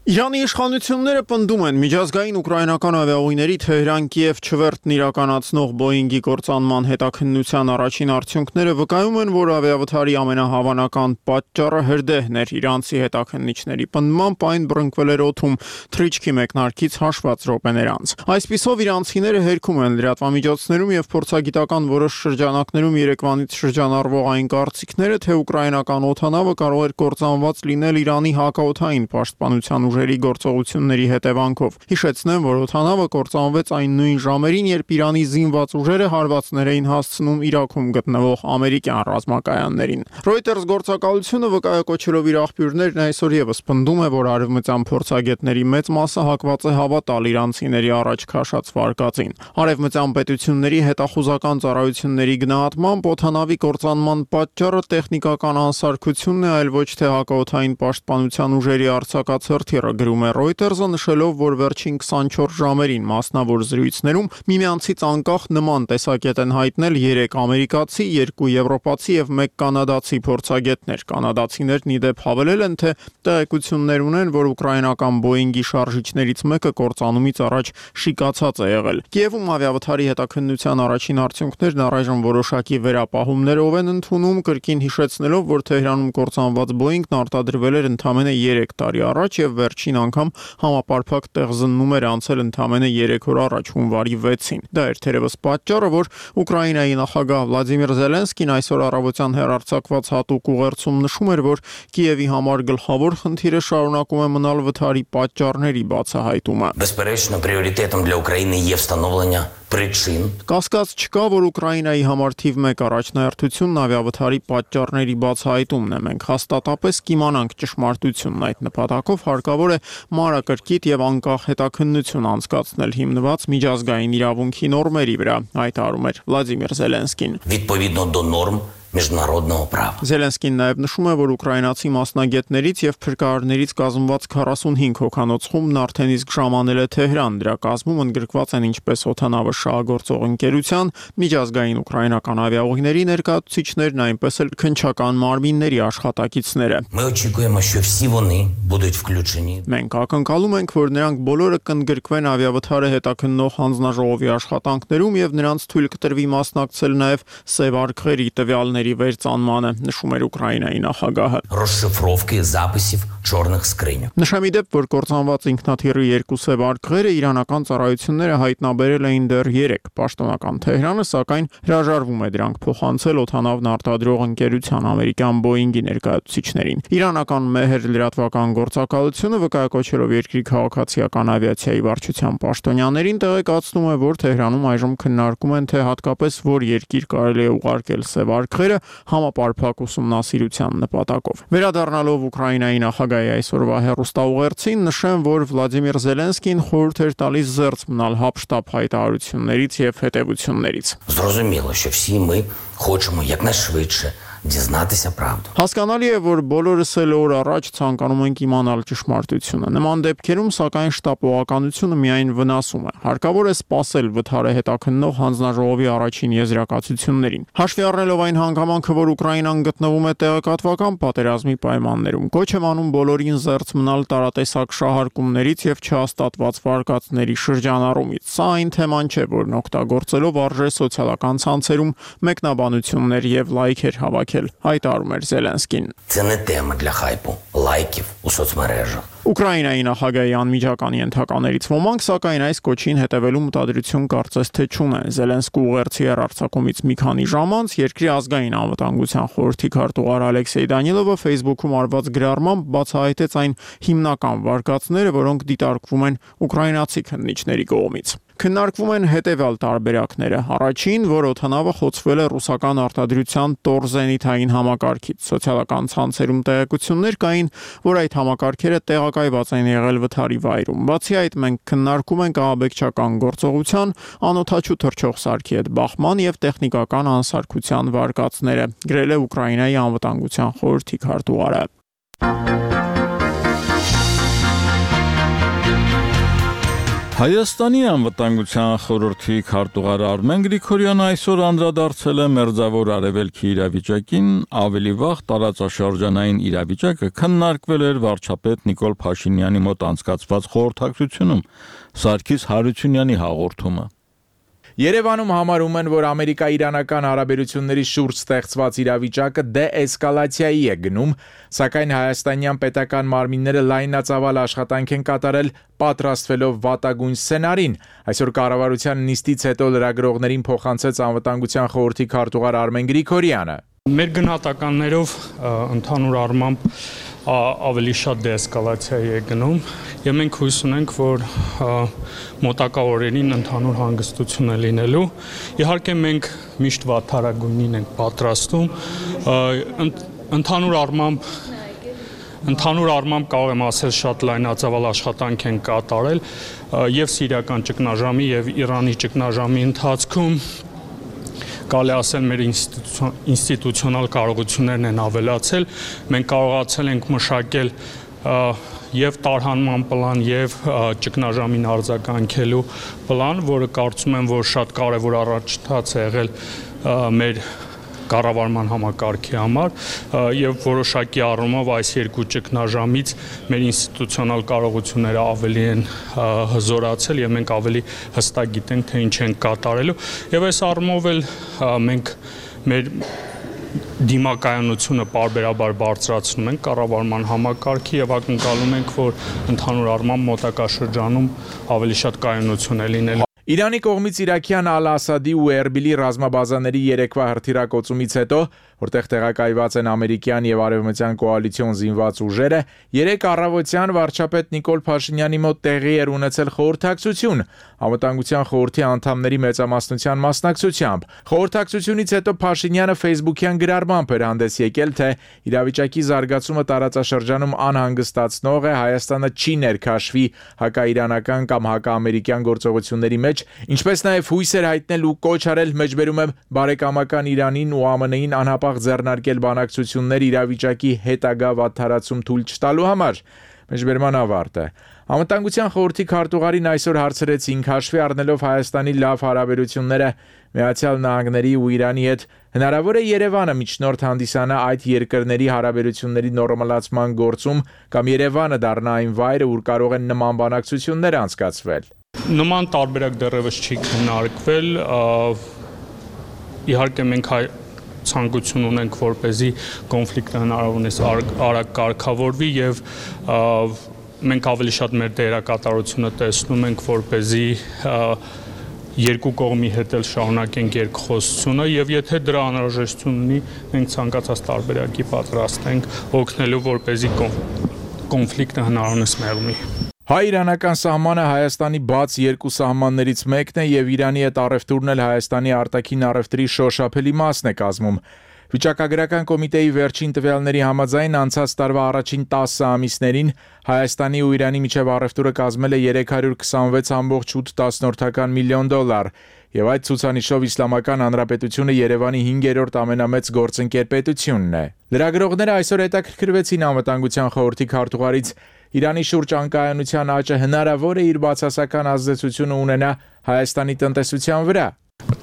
Իրանի իշխանությունները պնդում են միջազգային ուկրաինական ավիաուղիների Թեհրան-Կիև չվերթն իրականացնող Բոինգի կործանման հետաքննության առաջին արդյունքները վկայում են, որ ավիավթարի ամենահավանական պատճառը հրդեհն էր։ Իրանցի հետաքննիչների պնդմամբ այն բռնկվել էր օդում թռիչքի մեկնարկից հաշված րոպեներ անց։ Այսպիսով իրանցիները հերքում են լրատվամիջոցներում եւ փորձագիտական որոշ շրջանակներում Երևանից շրջանառվող այն կարծիքները, թե ուկրաինական օդանավը կարող էր կործանված լինել Իրանի հակաօդային պաշտպանության ուժերի գործողությունների հետևանքով։ Հիշեցնեմ, որ օդանավը կործանվեց այն նույն ժամերին, երբ Իրանի զինված ուժերը հարվածներ էին հասցնում Իրաքում գտնվող ամերիկյան ռազմակայաններին։ Reuters գործակալությունը վկայակոչելով իր աղբյուրներն այսօր եւս պնդում է, որ արևմտյան փորձագետների մեծ մասը հակված է հավատալ իրանցիների առաջ քաշած վարկածին։ Արևմտյան պետությունների հետախուզական ծառայությունների գնահատմամբ օդանավի կործանման պատճառը տեխնիկական անսարքությունն է, այլ ոչ թե հակաօդային պաշտպանության ուժերի արձակած հրթիռը, գրում է Reuters-ը, նշելով, որ վերջին քսանչորս ժամերին մասնավոր զրույցներում միմյանցից անկախ նման տեսակետ են հայտնել երեք ամերիկացի, երկու եվրոպացի եւ մեկ կանադացի փորձագետներ։ Կանադացիներն ի դեպ հավելել են, թե տեղեկություններ ունեն, որ ուկրաինական Boeing-ի շարժիչներից մեկը կործանումից առաջ շիկացած է եղել։ Կիևում ավիավթարի հետաքննության առաջին արդյունքներն առայժմ որոշակի վերապահումներով են ընդունում, կրկին հիշեցնելով, որ Թեհրանում կործանված Boeing-ն արտադրվել էր ընդամենը երեք տարի առաջ եւ վերջին անգամ համապարփակ տեղզննում էր անցել ընդամենը երեք օր առաջ, հունվարի վեցին։ Դա էր թերևս պատճառը, որ Ուկրաինայի նախագահ Վլադիմիր Զելենսկին այսօր առավոտյան հեռարձակված հատուկ ուղերձում նշում էր, որ Կիևի համար գլխավոր խնդիրը շարունակում է մնալ վթարի պատճառների բացահայտումը։ Безперечно, пріоритетом для України є встановлення причин. Կասկած չկա, որ Ուկրաինայի համար թիվ մեկ առաջնահերթությունն ավիավթարի պատճառների բացահայտումն է։ Մենք հաստատապես կիմանանք ճշմարտությունն այդ նպատակով հարկավոր է մանրակրկիտ եւ անկախ հետաքննություն անցկացնել հիմնված միջազգային իրավունքի նորմերի վրա, հայտարարում էր Վլադիմիր Զելենսկին։ Відповідно до норм международного права. Զելենսկին նաև նշում է, որ ուկրաինացի մասնագետներից եւ փրկարարներից կազմված քառասունհինգ հոգանոց խումբն արդեն իսկ ժամանել է Թեհրան։ Դրա կազմում ընդգրկված են ինչպես օդանավը շահագործող ընկերության, միջազգային ուկրաինական ավիաուղիների ներկայացուցիչներն, այնպես էլ քննչական մարմինների աշխատակիցները։ Ми очікуємо, що всі вони будуть включені. Մենք ակնկալում ենք, որ նրանք բոլորը կընդգրկվեն ավիավթարը հետաքննող հանձնաժողովի աշխատանքներում եւ նրանց թույլ կտրվի մասնակցել նաև սև արքերի տվյալների վերծանմանը, նշում էր Ուկրաինայի նախագահը։ Розшифровки записів чорних скриньок. Նշեմ ի դեպ, որ կործանված ինքնաթիռի երկու սև արքերը իրանական ծառայությունները հայտնաբերել էին դեռ երեք։ Պաշտոնական Թեհրանը, սակայն, հրաժարվում է դրանք փոխանցել օդանավն արտադրող ընկերության ամերիկյան Boeing-ի ներկայացուցիչներին։ Իրանական Մեհեր լրատվական գործակալությունը վկայակոչելով երկրի քաղաքացիական ավիացիայի վարչության պաշտոնյաներին տեղեկացնում է, որ Թեհրանում այժմ քննարկում են, թե հատկապես որ երկիր կարելի է ուղարկել սև արքերը դեպքերը համապարփակ ուսումնասիրության նպատակով։ Վերադառնալով Ուկրաինայի նախագահի այսօրվա հեռուստաուղերձին նշեմ, որ Վլադիմիր Զելենսկին խորհուրդ էր տալիս զերծ մնալ հապշտապ հայտարարություններից եւ հետևություններից։ Зрозуміло, що всі ми хочемо якнайшвидше дізнатися правду. Հասկանալի է, որ բոլորս էլ օր առաջ ցանկանում ենք իմանալ ճշմարտությունը։ Նման դեպքերում, սակայն, շտապողականությունը միայն վնասում է։ Հարկավոր է սպասել վթարը հետաքննող հանձնաժողովի առաջին եզրակացություններին։ Հաշվի առնելով այն հանգամանքը, որ Ուկրաինան գտնվում է տեղեկատվական պատերազմի պայմաններում, կոչ եմ անում բոլորին զերծ մնալ տարատեսակ շահարկումներից եւ չհաստատված վարկածների շրջանառումից։ Սա այն թեման չէ, որն օգտագործելով արժե սոցիալական ցանցերում մեկնաբանություններ եւ լայքեր հավաքել, հայտարարում էր Զելենսկին։ Це не тема для хайпу, лайків у соцмережах. Ուկրաինայի նախագահի անմիջական ենթականերից ոմանք, սակայն այս կոչին հետևելու մտադրություն կարծես թե չունեն։ Զելենսկու ուղերձի հեռարձակումից մի քանի ժամ անց երկրի ազգային անվտանգության խորհրդի քարտուղար Ալեքսեյ Դանիլովը Facebook-ում արված գրառմամբ բացահայտեց այն հիմնական վարկածները, որոնք դիտարկվում են ուկրաինացի քննիչների կողմից։ Քննարկվում են հետևյալ տարբերակները։ Առաջին, որ օդանավը խոցվել է ռուսական արտադրության Տոր զենիթային համակարգից։ Սոցիալական ցանցերում տեղեկություններ կային, որ այդ համակարգերը տեղակայված են եղել վթարի վայրում։ Բացի այդ, մենք քննարկում ենք ահաբեկչական գործողության, անօդաչու թռչող սարքի հետ բախման եւ տեխնիկական անսարքության վարկածները, գրել է Ուկրաինայի անվտանգության խորհրդի քարտուղարը։ Հայաստանի անվտանգության խորհրդի քարտուղար Արմեն Գրիգորյանը այսօր անդրադարձել է մերձավոր արևելքի իրավիճակին, ավելի վաղ տարածաշրջանային իրավիճակը քննարկվել էր վարչապետ Նիկոլ Փաշինյանի մոտ անցկացված խորհրդակցությունում, Սարգիս Հարությունյանի հաղորդումը։ Երևանում համարում են, որ Ամերիկա-իրանական հարաբերությունների շուրջ ստեղծված իրավիճակը դե-էսկալացիայի է գնում, սակայն հայաստանյան պետական մարմինները լայնածավալ աշխատանք են կատարել պատրաստվելով վատագույն սցենարին։ Այսօր կառավարության նիստից հետո լրագրողներին փոխանցեց անվտանգության խորհրդի քարտուղար Արմեն Գրիգորյանը։ Մեր գնահատականներով ընդհանուր առմամբ ավելի շատ դեեսկալացիայի է գնում եւ մենք հույս ունենք, որ մոտակա օրերին ընդհանուր հանգստություն է լինելու։ Իհարկե մենք միշտ վատթարագույնին ենք պատրաստում, ընդհանուր առմամբ Ընդհանուր առմամբ կարող եմ ասել շատ լայնածավալ աշխատանք են կատարել եւ Սիրիական ճգնաժամի եւ Իրանի ճգնաժամի ընթացքում կարելի ասել մեր ինստիտուցիոնալ կարողություններն են ավելացել, մենք կարողացել ենք մշակել եւ տարհանման պլան եւ ճգնաժամին արձագանքելու պլան, որը կարծում եմ, որ շատ կարեւոր առաջընթաց է եղել մեր կառավարման համակարգի համար եւ որոշակի առումով այս երկու ճգնաժամից մեր ինստիտուցիոնալ կարողությունները ավելի են հզորացել եւ մենք ավելի հստակ գիտենք, թե ինչ են կատարելու եւ այս առումով էլ մենք մեր դիմակայունությունը պարբերաբար բարձրացնում ենք կառավարման համակարգի եւ ակնկալում ենք, որ ընդհանուր առմամբ մոտակա շրջանում ավելի շատ կայունություն է լինելու։ Իրանի կողմից իրաքյան Ալ-Ասադի ու Էրբիլի ռազմաբազաների երեկվա հրթիռակոծումից հետո, որտեղ տեղակայված են ամերիկյան եւ արևմտյան կոալիցիոն զինված ուժերը, երեք առավոտյան վարչապետ Նիկոլ Փաշինյանի մոտ տեղի էր ունեցել խորհրդակցություն անվտանգության խորհրդի անդամների մեծամասնության մասնակցությամբ։ Խորհրդակցությունից հետո Փաշինյանը Facebook-յան գրառմամբ էր հանդես եկել, թե իրավիճակի զարգացումը տարածաշրջանում անհանգստացնող է, Հայաստանը չի ներքաշվի հակաիրանական կամ հակաամերիկյան գործողությունների մեջ, ինչպես նաև հույս էր հայտնել ու կոչ արել մեջբերում է բարեկամական Իրանին ու ԱՄՆ-ին անհապաղ ձեռնարկել բանակցություններ իրավիճակի հետագա վատթարացում թույլ չտալու համար։ Մեջբերման ավարտը։ Անվտանգության խորհրդի քարտուղարին այսօր հարցրեցին, հաշվի առնելով Հայաստանի լավ հարաբերությունները Միացյալ Նահանգների ու Իրանի հետ, հնարավոր է Երևանը միջնորդ հանդիսանա այդ երկրների հարաբերությունների նորմալացման գործում կամ Երևանը դառնա այն վայրը, ուր կարող են նման բանակցություններ անցկացվել։ Նման տարբերակ դեռևս չի քննարկվել, իհարկե մենք հայ ցանկություն ունենք, որպեսզի կոնֆլիկտը հնարավորինս արագ կարգավորվի եւ մենք ավելի շատ մեր դերակատարությունը տեսնում ենք, որպեսզի երկու կողմի հետ էլ շարունակենք երկխոսությունը եւ եթե դրա անհրաժեշտություն ունի, մենք ցանկացած տարբերակի պատրաստ ենք օգնելու, որպեսզի կոնֆլիկտը հնարավորինս մեղմի։ Հայ-իրանական սահմանը Հայաստանի բաց երկու սահմաններից մեկն է եւ Իրանի հետ առևտուրն էլ Հայաստանի արտաքին առևտրի շոշափելի մասն է կազմում։ Վիճակագրական կոմիտեի վերջին տվյալների համաձայն անցած տարվա առաջին տասը ամիսներին Հայաստանի ու Իրանի միջև առևտուրը կազմել է երեք հարյուր քսանվեց կόμma ութ միլիոն դոլար, եւ այդ ցուցանիշով Իսլամական Հանրապետությունը Երևանի հինգերորդ ամենամեծ գործընկեր պետությունն է։ Լրագրողները այսօր հետաքրքրվեցին Անվտանգության խորհրդի քարտուղարից Իրանի շուրջ անկայունության աճը հնարավոր է իր բացասական ազդեցությունը ունենա Հայաստանի տնտեսության վրա։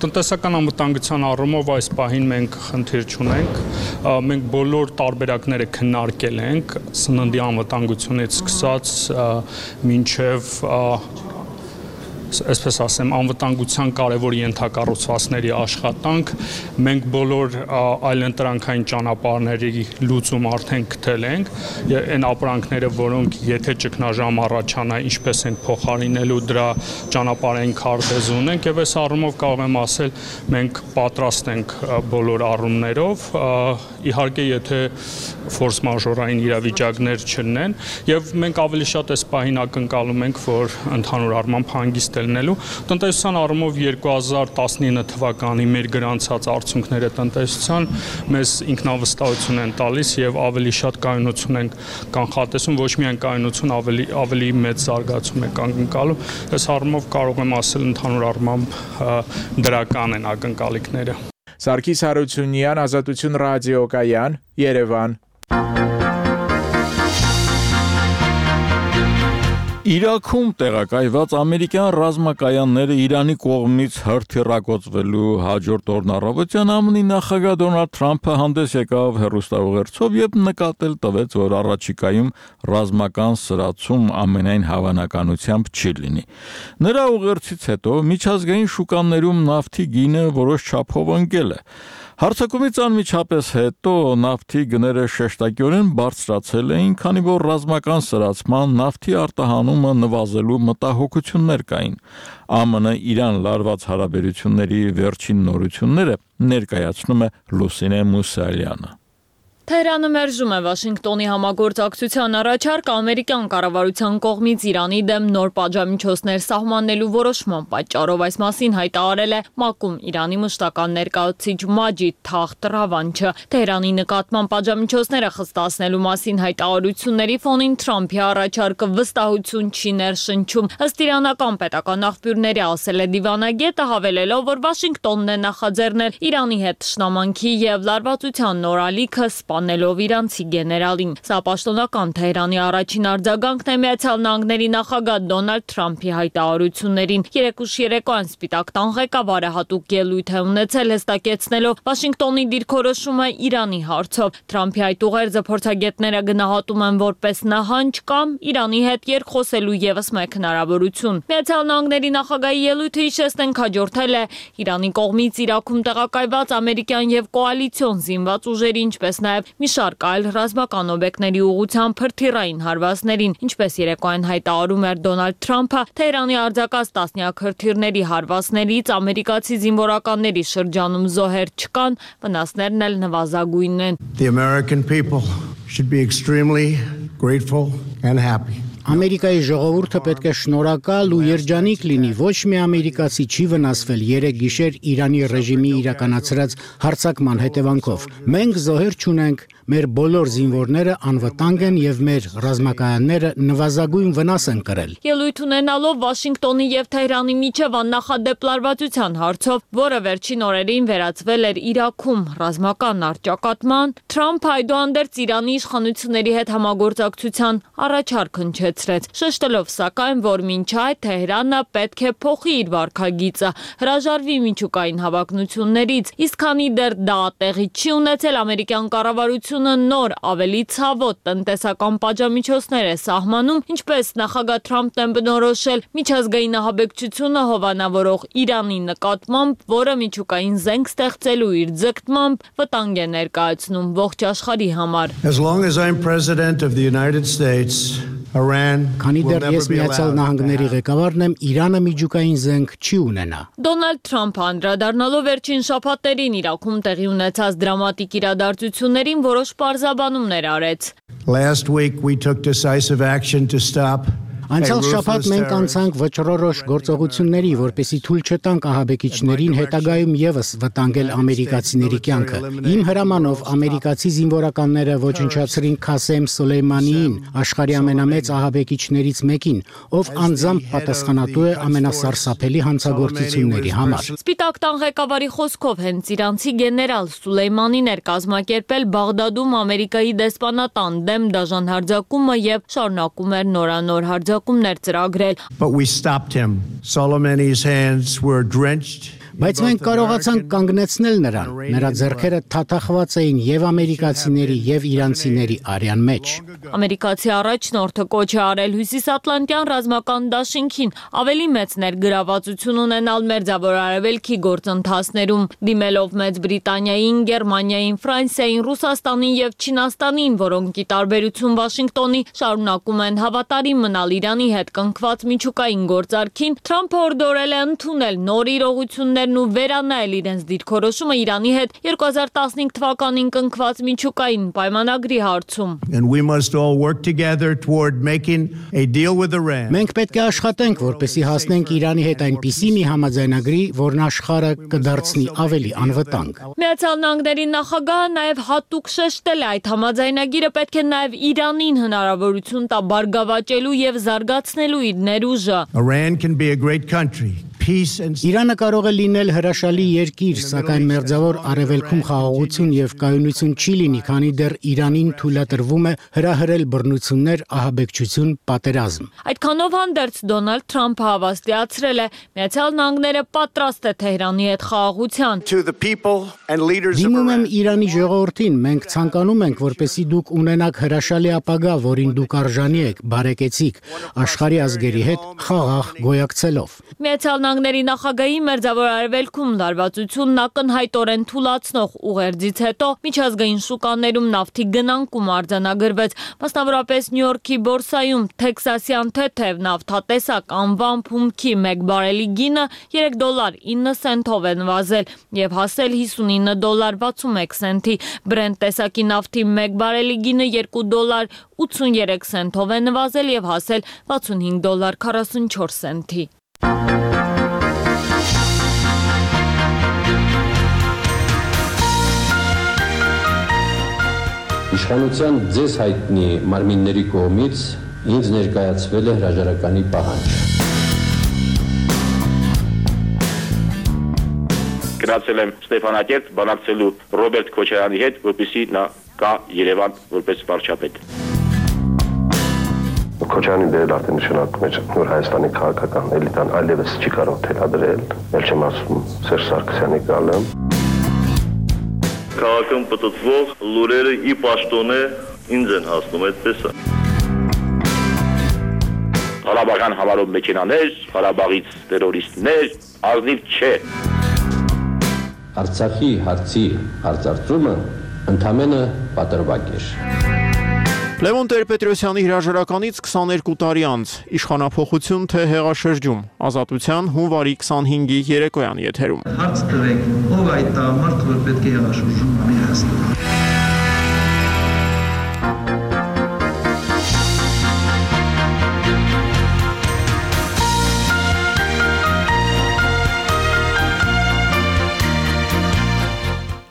Տնտեսական անվտանգության առումով այս պահին մենք խնդիր չունենք, մենք բոլոր տարբերակները քննարկել ենք, սննդի անվտանգությունից սկսած մինչև այսպես ասեմ, անվտանգության կարևոր ենթակառուցվածքների աշխատանք, մենք բոլոր այլընտրանքային ճանապարհների լուծում արդեն գտել ենք, այն ապրանքները, որոնք եթե ճգնաժամ առաջանա, ինչպես են փոխարինելու դրա ճանապարհային քարտեզ ունենք, եւ այս առումով կարող եմ ասել, մենք պատրաստ ենք բոլոր առումներով, իհարկե եթե ֆորս մաժորային իրավիճակներ չլինեն, եւ մենք ավելի շատ այս պահին ակնկալում ենք, որ ընդհանուր առմամբ հանգիստ լինելու տնտեսության առումով երկու հազար տասնինը թվականի մեր գրանցած արդյունքները տնտեսության մեզ ինքնավստահություն են տալիս եւ ավելի շատ կայունություն ենք կանխատեսում, ոչ միայն կայունություն, ավելի ավելի մեծ զարգացում ենք ակնկալում։ Այս առումով կարող եմ ասել ընդհանուր առմամբ դրական են ակնկալիքները։ Սարգիս Հարությունյան, Ազատություն ռադիոկայան, Երևան։ Իրաքում տեղակայված ամերիկյան ռազմակայանները Իրանի կողմից հրթիռակոծվելու հաջորդ օրն առավոտյան ԱՄՆ-ի նախագահ Դոնալդ Թրամփը հանդես եկավ հեռուստաուղերձով եւ նկատել տվեց, որ առաջիկայում ռազմական սրացում ամենայն հավանականությամբ չի լինի։ Նրա ուղերձից հետո միջազգային շուկաներում նավթի գինը որոշ չափով ընկել է։ Հարցակումից անմիջապես հետո նավթի գները շեշտակիորեն բարձրացել էին, քանի որ ռազմական սրացման նավթի արտահանումը նվազելու մտահոգություններ կային։ ԱՄՆ Իրան լարված հարաբերությունների վերջին նորությունները ներկայացնում է Լուսինե Մուսալյանը։ Թեհրանը մերժում է Վաշինգտոնի համագործակցության առաջարկ ամերիկյան կառավարության կողմից Իրանի դեմ նոր պատժամիջոցներ սահմանելու որոշման պատճառով, այս մասին հայտարարել է ՄԱԿ-ում Իրանի մշտական ներկայացուցիչ Մաջիդ Թախտ Ռավանչը։ Թեհրանի նկատմամբ պատժամիջոցները խստացնելու մասին հայտարարությունների ֆոնին Թրամփի առաջարկը վստահություն չի ներշնչում։ Ըստ իրանական պետական աղբյուրների ասել է դիվանագետը, հավելելով, որ Վաշինգտոնն է նախաձեռնել Իրանի հետ թշնամանքի եւ լարվածության նոր ալիքը անելով իրանցի գեներալին։ Սա պաշտոնական Թեհրանի առաջին արձագանքն է Միացյալ Նահանգների նախագահ Դոնալդ Թրամփի հայտարարություններին։ Երեկուշ երեկոյան Սպիտակ տան ղեկավարը հատուկ ելույթ է ունեցել, հստակեցնելով Վաշինգտոնի դիրքորոշումը Իրանի հարցով։ Թրամփի այդ ուղերձը փորձագետները գնահատում են որպես նահանջ կամ Իրանի հետ երկխոսելու եւս մեկ հնարավորություն։ Միացյալ Նահանգների նախագահի ելույթը հիշեցնենք հաջորդել է Իրանի կողմից Իրաքում տեղակայված ամերիկյան եւ կոալիցիոն զինված ուժերի, ինչպես նաեւ մի շարք այլ ռազմական օբյեկտների ուղղությամբ հրթիռային հարվածներին, ինչպես երեկոյան հայտարարում էր Դոնալդ Թրամփը, Թեհրանի արձակած տասնյակ հրթիռների հարվածներից ամերիկացի զինվորականների շրջանում զոհեր չկան, վնասներն էլ նվազագույն են։ The American people should be extremely grateful and happy. Ամերիկայի ժողովուրդը պետք է շնորհակալ ու երջանիկ լինի, ոչ մի ամերիկացի չի վնասվել երեք գիշեր Իրանի ռեժիմի իրականացրած հարձակման հետևանքով։ Մենք զոհեր չունենք, մեր բոլոր զինվորները անվտանգ են եւ մեր ռազմակայանները նվազագույն վնաս են կրել։ Ելույթ ունենալով Վաշինգտոնի եւ Թեհրանի միջև աննախադեպ լարվածության հարցով, որը վերջին օրերին վերածվել էր Իրաքում ռազմական առճակատման, Թրամփը այդուհանդերձ Իրանի իշխանությունների հետ համագործակցության առաջարկ հնչեցրեց, շեշտելով սակայն, որ մինչ այդ Թեհրանը պետք է փոխի իր վարքագիծը, հրաժարվի միջուկային հավակնություններից, իսկ քանի դեռ դա տեղի չի ունեցել, ամերիկյան կառավարությունը նոր ավելի ցավոտ տնտեսական պատժամիջոցներ է սահմանում, ինչպես նախագահ Թրամփն է բնորոշել միջազգային ահաբեկչությունը հովանավորող Իրանի նկատմամբ, որը միջուկային զենք ստեղծելու իր ձգտմամբ վտանգ է ներկայացնում ողջ աշխարհի համար։ As long as I'm president of the United States, Iran Քանի դեռ ես Միացյալ Նահանգների ղեկավարն եմ, Իրանը միջուկային զենք չի ունենա։ Դոնալդ Թրամփը անդրադառնալով վերջին շաբաթներին Իրաքում տեղի ունեցած դրամատիկ իրադարձություններին որոշ պարզաբանումներ արեց։ Last week we took decisive action to stop Անցյալ շաբաթ մենք անցանք վճռորոշ գործողությունների, որպեսզի թույլ չտանք ահաբեկիչներին հետագայում եւս վտանգել ամերիկացիների կյանքը։ Իմ հրամանով ամերիկացի զինվորականները ոչնչացրին Քասեմ Սոլեյմանիին, աշխարհի ամենամեծ ահաբեկիչներից մեկին, ով անձամբ պատասխանատու է ամենասարսափելի հանցագործությունների համար։ Սպիտակ տան ղեկավարի խոսքով հենց իրանցի գեներալ Սուլեյմանին էր կազմակերպել Բաղդադում Ամերիկայի դեսպանատան դեմ դաժան հարձակումը եւ շարունակում էր նորանոր հարձակումներ ծրագրել։ But we stopped him. Soleimani's hands were drenched. Բայց մենք կարողացանք կանգնեցնել նրան։ Նրա ձեռքերը թաթախված էին եւ ամերիկացիների եւ իրանցիների արյան մեջ։ Ամերիկացի առաջնորդը կոչ է արել Հյուսիսատլանտյան ռազմական դաշինքին ավելի մեծ ներգրավվածություն ունենալ Մերձավոր Արևելքի գործընթացներում, դիմելով Մեծ Բրիտանիային, Գերմանիային, Ֆրանսիային, Ռուսաստանին եւ Չինաստանին, որոնք ի տարբերություն Վաշինգտոնի շարունակում են հավատարիմ մնալ Իրանի հետ կնքված միջուկային գործարքին, Թրամփը օրդորել է ընդունել նոր իրողություններ ու վերանայել իրենց դիրքորոշումը Իրանի հետ երկու հազար տասնհինգ թվականին կնքված միջուկային պայմանագրի հարցում։ And we must all work together toward making a deal with Iran. Մենք պետք է աշխատենք, որպեսզի հասնենք Իրանի հետ այնպիսի մի համաձայնագրի, որն աշխարհը կդարձնի ավելի անվտանգ։ Միացյալ Նահանգների նախագահը նաև հատուկ շեշտել է այդ համաձայնագիրը պետք է նաև Իրանին հնարավորություն տա բարգավաճելու եւ զարգացնելու իր ներուժը։ Iran can be a great country. Իրանը կարող է լինել հրաշալի երկիր, սակայն Մերձավոր Արևելքում խաղաղություն եւ կայունություն չի լինի, քանի դեռ Իրանին թույլատրվում է հրահրել բռնություններ, ահաբեկչություն, պատերազմ։ Այդքանով հանդերձ Դոնալդ Թրամփը հավաստիացրել է Միացյալ Նահանգները պատրաստ է Թեհրանի հետ խաղաղության։ Դիմում եմ Իրանի ժողովրդին, մենք ցանկանում ենք, որպեսզի դուք ունենաք հրաշալի ապագա, որին դուք արժանի եք, բարեկեցիկ, աշխարհի ազգերի հետ խաղաղ գոյակցելով։ Միացյալ Նահանգների նախագահի Մերձավոր Արևելքում լարվածությունն ակնհայտորեն թուլացնող ուղերձից հետո միջազգային շուկաներում նավթի գնանկում արձանագրվեց, մասնավորապես Նյու Յորքի բորսայում տեքսասյան թեթև նավթատեսակ անվան փումքի մեկ բարելի գինը երեք դոլար ինը սենտով է նվազել եւ հասել հիսունինը դոլար վաթսունմեկ սենտի, Brent տեսակի նավթի մեկ բարելի գինը երկու դոլար ութսուններեք սենտով է նվազել եւ հասել վաթսունհինգ դոլար քառասունչորս սենտի։ Իշխանության ձեզ հայտնի մարմինների կողմից ինձ ներկայացվել է հրաժարականի պահանջ։ Գնացել եմ Ստեփանակերտ բանակցելու Ռոբերտ Քոչարյանի հետ, որպեսզի նա գա Երևան որպես վարչապետ։ Քոչարյանի դերը արդեն նշանակում է նոր Հայաստանի քաղաքական էլիտան այլևս չի կարող թելադրել, ել չեմ ասում Սերժ Սարգսյանի գալը։ Քաղաքում պտտվող լուրերը ի պաշտոնե ինձ են հասնում, այդպես է։ Ղարաբաղյան համարով մեքենաներ, Ղարաբաղից տերորիստներ, ազնիվ չէ։ Արցախի հարցի հարցարծումը ընդամենը պատրվակ էր։ Լևոն Տեր-Պետրոսյանի հրաժարականից քսաներկու տարի անց իշխանափոխություն թե հեղաշրջում, Ազատության հունվարի քսանհինգի երեկոյան եթերում։ Հարց տվեք, ով այդ տղամարդը, որ պետք է հեղաշրջում անի Հայաստանում։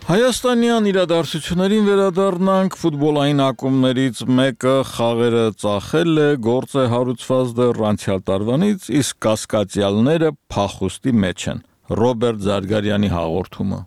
Հայաստանյան իրադարձություններին վերադառնանք, ֆուտբոլային ակումբներից մեկը խաղերը ծախել է, գործ է հարուցված դեռ անցյալ տարվանից, իսկ կասկածյալները փախուստի մեջ են։ Ռոբերտ Զարգարյանի հաղորդումը։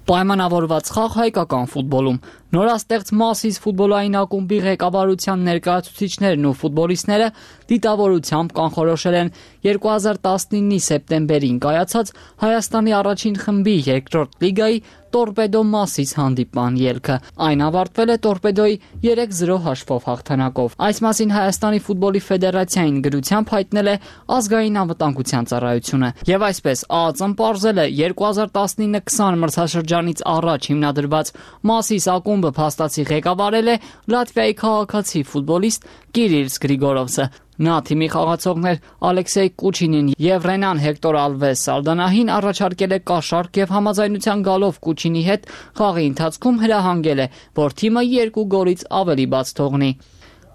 Պայմանավորված խաղ հայկական ֆուտբոլում նորաստեղծ Մասիս ֆուտբոլային ակումբի ղեկավարության ներկայացուցիչներն ու ֆուտբոլիստները դիտավորությամբ կանխորոշել են երկու հազար տասնինի սեպտեմբերին կայացած Հայաստանի առաջին խմբի երկրորդ լիգայի Տորպեդո Մասիս հանդիպման ելքը։ Այն ավարտվել է Տորպեդոյի երեք զրո հաշվով հաղթանակով։ Այս մասին Հայաստանի ֆուտբոլի ֆեդերացիային գրությամբ հայտնել է ազգային անվտանգության ծառայությունը։ Եվ այսպես ԱԱԾ-ն պարզել է երկու հազար տասնինը քսան մրցաշրջանից առաջ հիմնադրված Մասիս ակումբը փաստացի ղեկավարել է Լատվիայի քաղաքացի ֆուտբոլիստ Կիրիլս Գրիգորովսը։ Նա թիմի խաղացողներ Ալեքսեյ Կուչինին եւ Ռենան Հեկտոր Ալվես Սալդանահին առաջարկել է կաշառք եւ համաձայնության գալով Կուչինի հետ խաղի ընթացքում հրահանգել է, որ թիմը երկու գոլից ավելի բաց թողնի։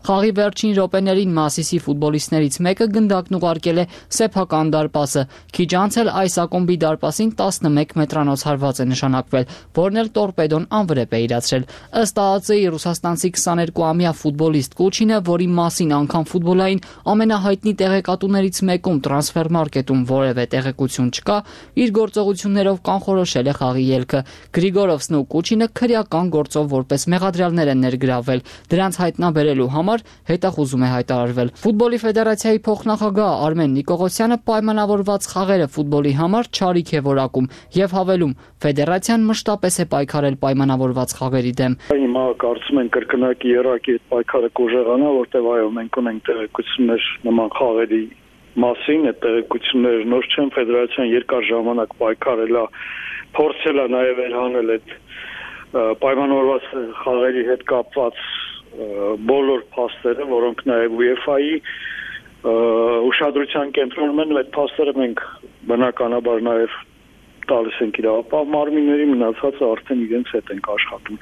Խաղի վերջին րոպեներին Մասիսի ֆուտբոլիստներից մեկը գնդակն ուղարկել է սեփական դարպասը։ Քիչ անց էլ այս ակումբի դարպասին տասնմեկ մետրանոց հարված է նշանակվել, որն էլ տորպեդոն անվրեպ է իրացրել։ Ըստ ԱԱՑ-ի ռուսաստանցի քսաներկուամյա ֆուտբոլիստ Կուչինը, որի մասին անգամ ֆուտբոլային ամենահայտնի տեղեկատուներից մեկում Transfermarket-ում որևէ տեղեկություն չկա, իր գործողություններով կանխորոշել է խաղի ելքը։ Գրիգորովսն ու Կուչինը քրեական գործով որպես մեղադրյալներ են ներգրավվել։ Դրանց հայտնաբերելու համար հետախուզում է հայտարարվել։ Ֆուտբոլի ֆեդերացիայի փոխնախագահ Արմեն Նիկողոսյանը պայմանավորված խաղերը ֆուտբոլի համար չարիք է որակում եւ հավելում. ֆեդերացիան մշտապես է պայքարել պայմանավորված խաղերի դեմ։ Հիմա կարծում ենք կրկնակի երակի այդ պայքարը կուժեղանա, որտեղ այո, մենք ունենք տեղեկություններ նման խաղերի մասին, այդ տեղեկությունները նոր չեն, ֆեդերացիան երկար ժամանակ պայքարել է, փորձել է նաև վերհանել այդ պայմանավորված խաղերի հետ կապված բոլոր փաստերը, որոնք նաև ՈՒԵՖԱ-ի ուշադրության կենտրոնում են, այդ փաստերը մենք բնականաբար նաև տալիս ենք իրավապահ մարմինների, մնացածը արդեն իրենց հետ ենք աշխատում։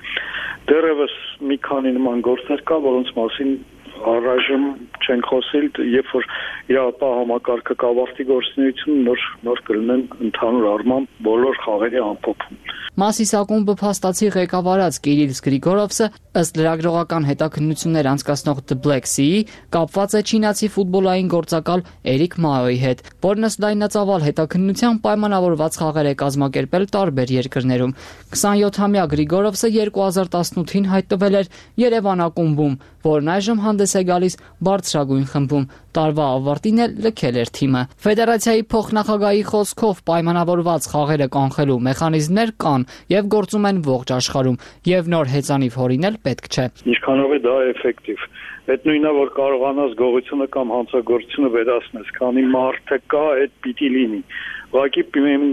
Դեռևս մի քանի նման գործեր կա, որոնց մասին առայժմ չենք խոսել, երբ որ իրավապահ համակարգը կավարտի գործունեությունը, նոր նոր կլինեն ընդհանուր առմամբ բոլոր խաղերի ամփոփում։ Մասիս ակումբը փաստացի ղեկավարած Կիրիլ Գրիգորովսը, ըստ լրագրողական հետաքննություններ անցկացնող The Black Sea-ի, կապված է չինացի ֆուտբոլային գործակալ Էրիկ Մաոյի հետ, որն ըստ լայնածավալ հետաքննության պայմանավորված խաղեր է կազմակերպել տարբեր երկրներում։ քսանյոթամյա Գրիգորովսը երկու հազար տասնութին հայտնվել էր Երևան ակումբում, որն այժմ հանդես է գալիս բարձրագույն խմբում։ Տարվա ավարտին էլ լքել էր թիմը։ Ֆեդերացիայի փոխնախագահի խոսքով պայմանավորված խաղերը կանխելու մեխանիզմներ կան եւ գործում են ողջ աշխարհում, եւ նոր հեծանիվ հորինել պետք չէ։ Ինչքանով է դա էֆեկտիվ։ Այդ նույնը որ կարողանաս գողությունը կամ հանցագործությունը վերացնես, քանի մարդը կա, այդ պիտի լինի։ Ուղղակի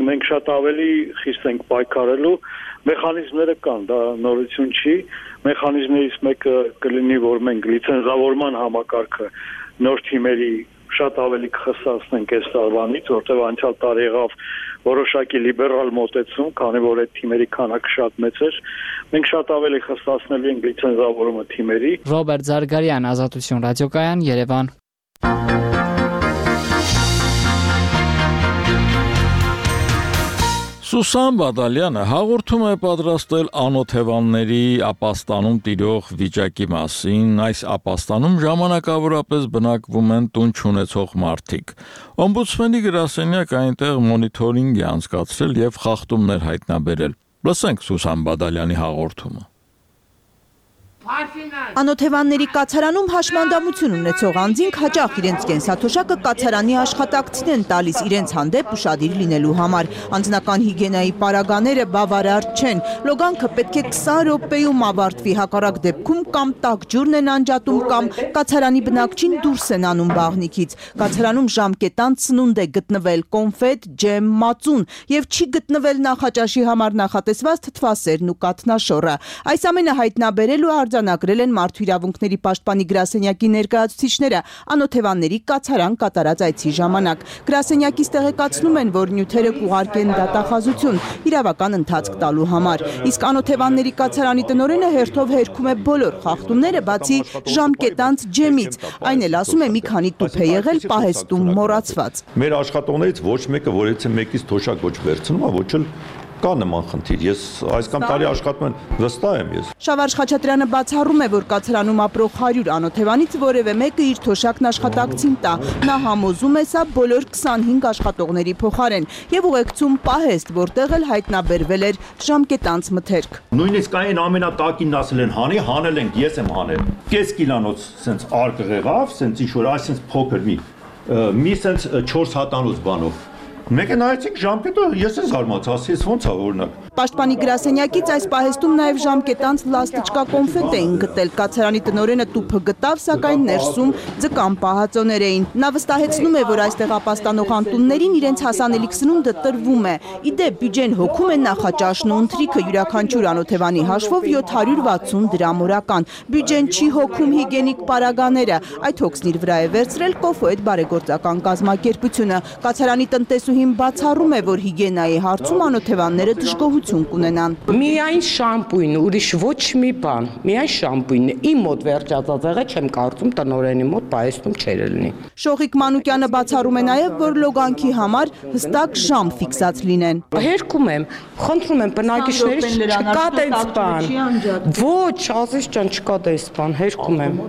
մենք շատ ավելի խիստ ենք պայքարելու, մեխանիզմները կան, դա նորություն չի։ Մեխանիզմներից մեկը կլինի, որ մենք լիցենզավորման համակարգը նոր թիմերի շատ ավելի կխստացնենք այս տարվանից, որտեղ անցյալ տարի եղավ որոշակի լիբերալ մոտեցում, քանի որ այդ թիմերի քանակը շատ մեծ էր։ Մենք շատ ավելի խստացնելու ենք լիցենզավորումը թիմերի։ Ռոբերտ Զարգարյան, Ազատություն ռադիոկայան, Երևան։ Սուսան Բադալյանը հաղորդում է պատրաստել անօթևանների ապաստանում տիրող վիճակի մասին։ Այս ապաստանում ժամանակավորապես բնակվում են տուն չունեցող մարդիկ։ Օմբուդսմենի գրասենյակը այնտեղ մոնիթորինգ է անցկացրել եւ խախտումներ հայտնաբերել։ Լսենք Սուսան Բադալյանի հաղորդումը։ Անօթևանների կացարանում հաշմանդամություն ունեցող անձինք հաճախ իրենց կենսաթոշակը կացարանի աշխատակցին են տալիս իրենց հանդեպ ուշադիր լինելու համար։ Անձնական հիգիենայի պարագաները բավարար չեն։ Լոգանքը պետք է քսան րոպեում ավարտվի, հակառակ դեպքում կամ տաք ջուրն են անջատում, կամ կացարանի բնակչին դուրս են անում բաղնիքից։ Կացարանում ժամկետանց սնունդ է գտնվել, կոնֆետ, ջեմ, մածուն եւ չի գտնվել նախաճաշի համար նախատեսված թթվասերն ու կաթնաշոռը։ Այս ամենը հայտնաբերելու արձանագրել են Մարդու իրավունքների պաշտպանի գրասենյակի ներկայացուցիչները անօթևանների կացարան կատարած այցի ժամանակ։ Գրասենյակից տեղեկացնում են, որ նյութերը կուղարկեն դատախազություն իրավական ընթացք տալու համար։ Իսկ անօթևանների կացարանի տնօրենը հերթով հերքում է բոլոր խախտումները, բացի ժամկետանց ջեմից։ Այն էլ ասում է մի քանի տուփ է եղել պահեստում մոռացված։ Մեր աշխատողներից ոչ մեկը որից է մեկից թոշակ ոչ վերցնում, ոչ էլ կա նման խնդիր։ Ես այս կամ տարի աշխատում եմ, վստահ եմ ես։ Շավարժ Խաչատրյանը բացառում է, որ կացարանում ապրող հարյուր անօթևանից որևէ մեկը իր թոշակն աշխատակցին տա։ Նա համոզում է սա բոլոր քսանհինգ աշխատողների փոխարեն եւ ուղեկցում պահեստ, որտեղ էլ հայտնաբերվել էր ժամկետանց մթերք։ Նույնիսկ այն ամենատակին ասել են հանի, հանել ենք, ես եմ հանել։ Կես կիլանոց սենց արկղ եղավ, սենց ինչ որ այսպես փոքր մի մի սենց չորս հատանոց բանով։ Մեկ է նայեցիք ժամկետը, ես եմ զարմացա, ասի ես ոնց է օրինակ։ Պաշտպանի գրասենյակից այս պահեստում նաև ժամկետանց լաստիճկա կոնֆետ էին գտել։ Կացարանի տնօրենը տուփը գտավ, սակայն ներսում ձկան պահածոներ էին։ Նա վստահեցնում է, որ այստեղ ապաստանող անտուններին իրենց հասանելիք սնունդը տրվում է։ Իդեպ բյուջեն հոգում է նախաճաշն ու ընթրիքը յուրաքանչյուր անօթևանի հաշվով յոթ հարյուր վաթսուն դրամ օրական։ Բյուջեն չի հոգում հիգիենիկ պարագաները։ Այդ հոգսն իր վրա է վերցրել Կոֆոետ բարեգործական կազմակերպությունը։ Կացարանի տնտեսուհին բացառում է, որ հիգիենայի հարցում անօթևանները դժգոհություն օգտագործություն կունենան։ Միայն շամպույն, ուրիշ ոչ մի բան, միայն շամպույնն է։ Իմ մոտ վերջացած եղել չեմ կարծում տնօրենի մոտ պայեսնում չէր լինի։ Շողիկ Մանուկյանը բացառում է նաև, որ լոգանքի համար հստակ ժամ ֆիքսած լինեն։ Հերքում եմ, խնդրում եմ բնակիչներից չկա դες բան։ Ոչ, Ազիզ ջան, չկա դες բան, հերքում եմ։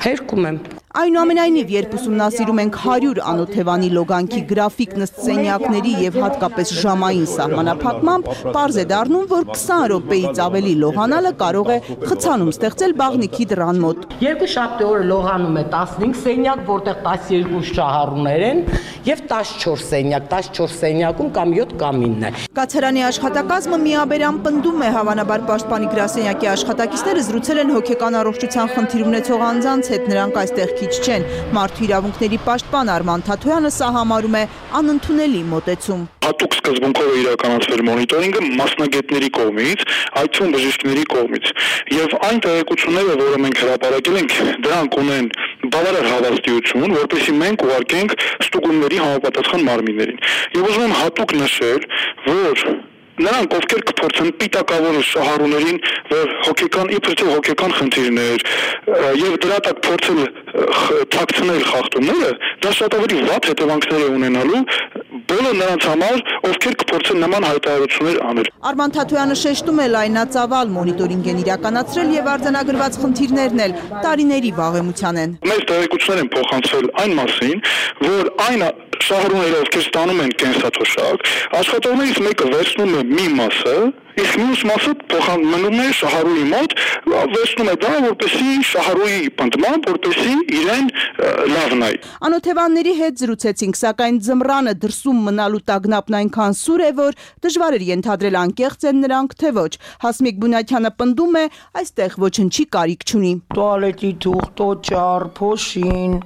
Հերքում եմ։ Այնուամենայնիվ, երբ ուսումնասիրում ենք հարյուր անօթևանի լոգանքի գրաֆիկ նստսենյակների եւ հատկապես ժամային սահմանափակմամբ, պարզ է դառնում, որ քսան րոպեից ավելի լողանալը կարող է խցանում ստեղծել բաղնիքի դռան մոտ։ Երկու շաբթի օրը լողանում է տասնհինգ սենյակ, որտեղ տասներկու շահառուներ են, եւ տասնչորս սենյակ, տասնչորս սենյակում կամ յոթ կամ ինը։ Կացարանի աշխատակազմը միաբերան պնդում է, հավանաբար պաշտպանի գրասենյակի աշխատակիցները զրուցել են հոգեկան առողջության խնդիր ունեցող անձանց հետ, նրանք այստեղ քիչ չեն։ Մարդու իրավունքների պաշտպան Արման Թաթոյանը սա համարում է անընդունելի մոտեցում։ Հատուկ սկզբունքով է իրականացվել մոնիտորինգը մասնագետների կողմից, այդ թվում բժիշկների կողմից, եւ այն տեղեկությունները, որը մենք հրապարակել ենք, դրանք ունեն բավարար հավաստիություն, որպեսզի մենք ուղարկենք ստուգումների համապատասխան մարմիններին։ Եվ ուզում եմ հատուկ նշել, որ նրանք ովքեր կփորձեն պիտակավորել շահառուներին, որ հոգեկան իբրև հոգեկան խնդիրներ եւ դրա տակ փորձել թաքցնել խախտումները, դա շատ ավելի վատ հետևանքներ է ունենալու բոլոր նրանց համար, ովքեր կփորձեն նման հայտարարություններ անել։ Արման Թաթոյանը շեշտում է լայնածավալ մոնիտորինգ են իրականացրել եւ արձանագրված խնդիրներն էլ տարիների վաղեմության են։ Մեծ տեղեկություններ են փոխանցվել այն մասին, որ այն շահառուները, ովքեր ստանում են կենսաթոշակ, աշխատողներից մեկը վերցնում է մի մասը, իսկ մյուս մասը փոխանցում է շահառուի մոտ, վերցնում է դա, որպեսզի շահառուի պնդմամբ, որպեսզի իրեն լավ նայի։ Անօթևանների հետ զրուցեցինք, սակայն ձմռանը դրսում մնալու տագնապն այնքան սուր է, որ դժվար էր ենթադրել անկեղծ են նրանք, թե ոչ։ Հասմիկ Բունյանը պնդում է, այստեղ ոչնչի կարիք չունի։ Տուալետի թուղթ, օճառ, փոշին,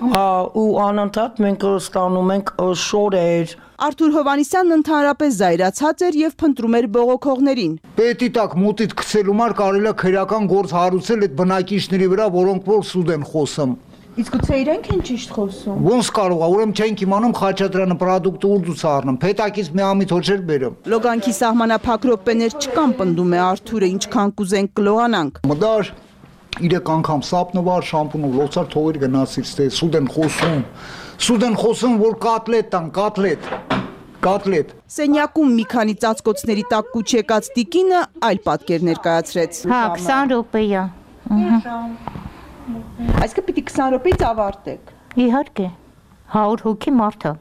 ու անընդհատ մենք ստանում ենք շորեր։ Արթուր Հովանիսյանն ընդհանրապես զայրացած էր եւ փնտրում էր բողոքողներին։ Պետի տակ մոտիդ գցելու մար կարելի է քրեական գործ հարուցել այդ բնակիչների վրա, որոնք որ սուտ են խոսում։ Իսկ գուցե իրենք են ճիշտ խոսում։ Ոնց կարող է, ուրեմն չենք իմանում Խաչատրյանը պրոդուկտը ուր առնում, փետակից մի ամիտ հոչեր բերում։ Լոգանքի սահմանափակ րոպեներ չկան, պնդում է Արթուրը, ինչքան կուզենք կլողանանք։ Մդար իրեք անգամ սապնվար շամպունով լոցար թողեր գնացից, թե սուտ են խոսում։ Սուտ են խոսում, որ կատլետ տան, կատլետ։ Կատլետ։ Սենյակում մի քանի ծածկոցների տակ կուչ եկած տիկինը այլ պատկեր ներկայացրեց։ Հա, քսան րոպեա։ Այսինքն պիտի քսան րոպեից ավարտեք։ Իհարկե։ հարյուր հոգի մարդ է։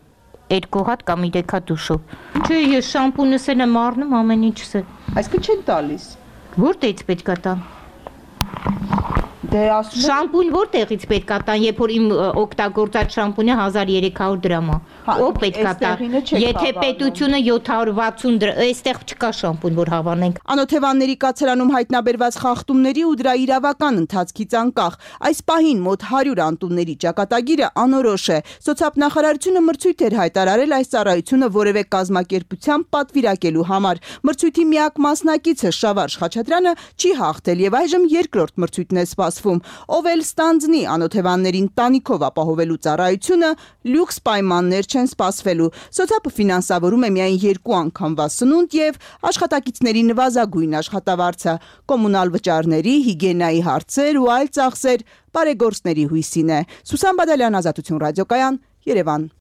Երկու հատ կամ երեք հատ դուշով։ Չէ, ես շամպունս էլ եմ առնում, ամեն ինչս է։ Այսինքն չեն տալիս։ Որտեղից պետք է տան։ Դե ասում շամպուն որտեղից պետք է տան, երբ որ իմ օգտագործած շամպունը հազար երեք հարյուր դրամ է։ Ո՞վ պետք է տա։ Եթե պետությունը յոթ հարյուր վաթսուն դրամ, այստեղ չկա շամպուն, որ հավանենք։ Անօթևանների կացարանում հայտնաբերված խախտումների ու դրա իրավական ընթացքից անկախ այս պահին մոտ հարյուր անտունների ճակատագիրը անորոշ է։ Սոցիալնախարարությունը մրցույթ էր հայտարարել այս ծառայությունը որևէ կազմակերպությամբ պատվիրակելու համար։ Մրցույթի միակ մասնակիցը Շավարժ Խաչատրյանը չի հաղթել եւ այժմ երկրորդ մրցույթն է սպասվում։ Ով էլ ստանձնի անօթևաններին տանիքով ապահովելու ծառայությունը, լյուքս պայմաններ չեն սպասվելու։ Սոցիալը ֆինանսավորում է միայն երկու անգամվա սնունդ եւ աշխատակիցների նվազագույն աշխատավարձը, կոմունալ վճարների, հիգիենայի հարցեր ու այլ ծախսեր բարեգործների հույսին է։ Սուսան Բադալյան, Ազատություն ռադիոկայան, Երևան։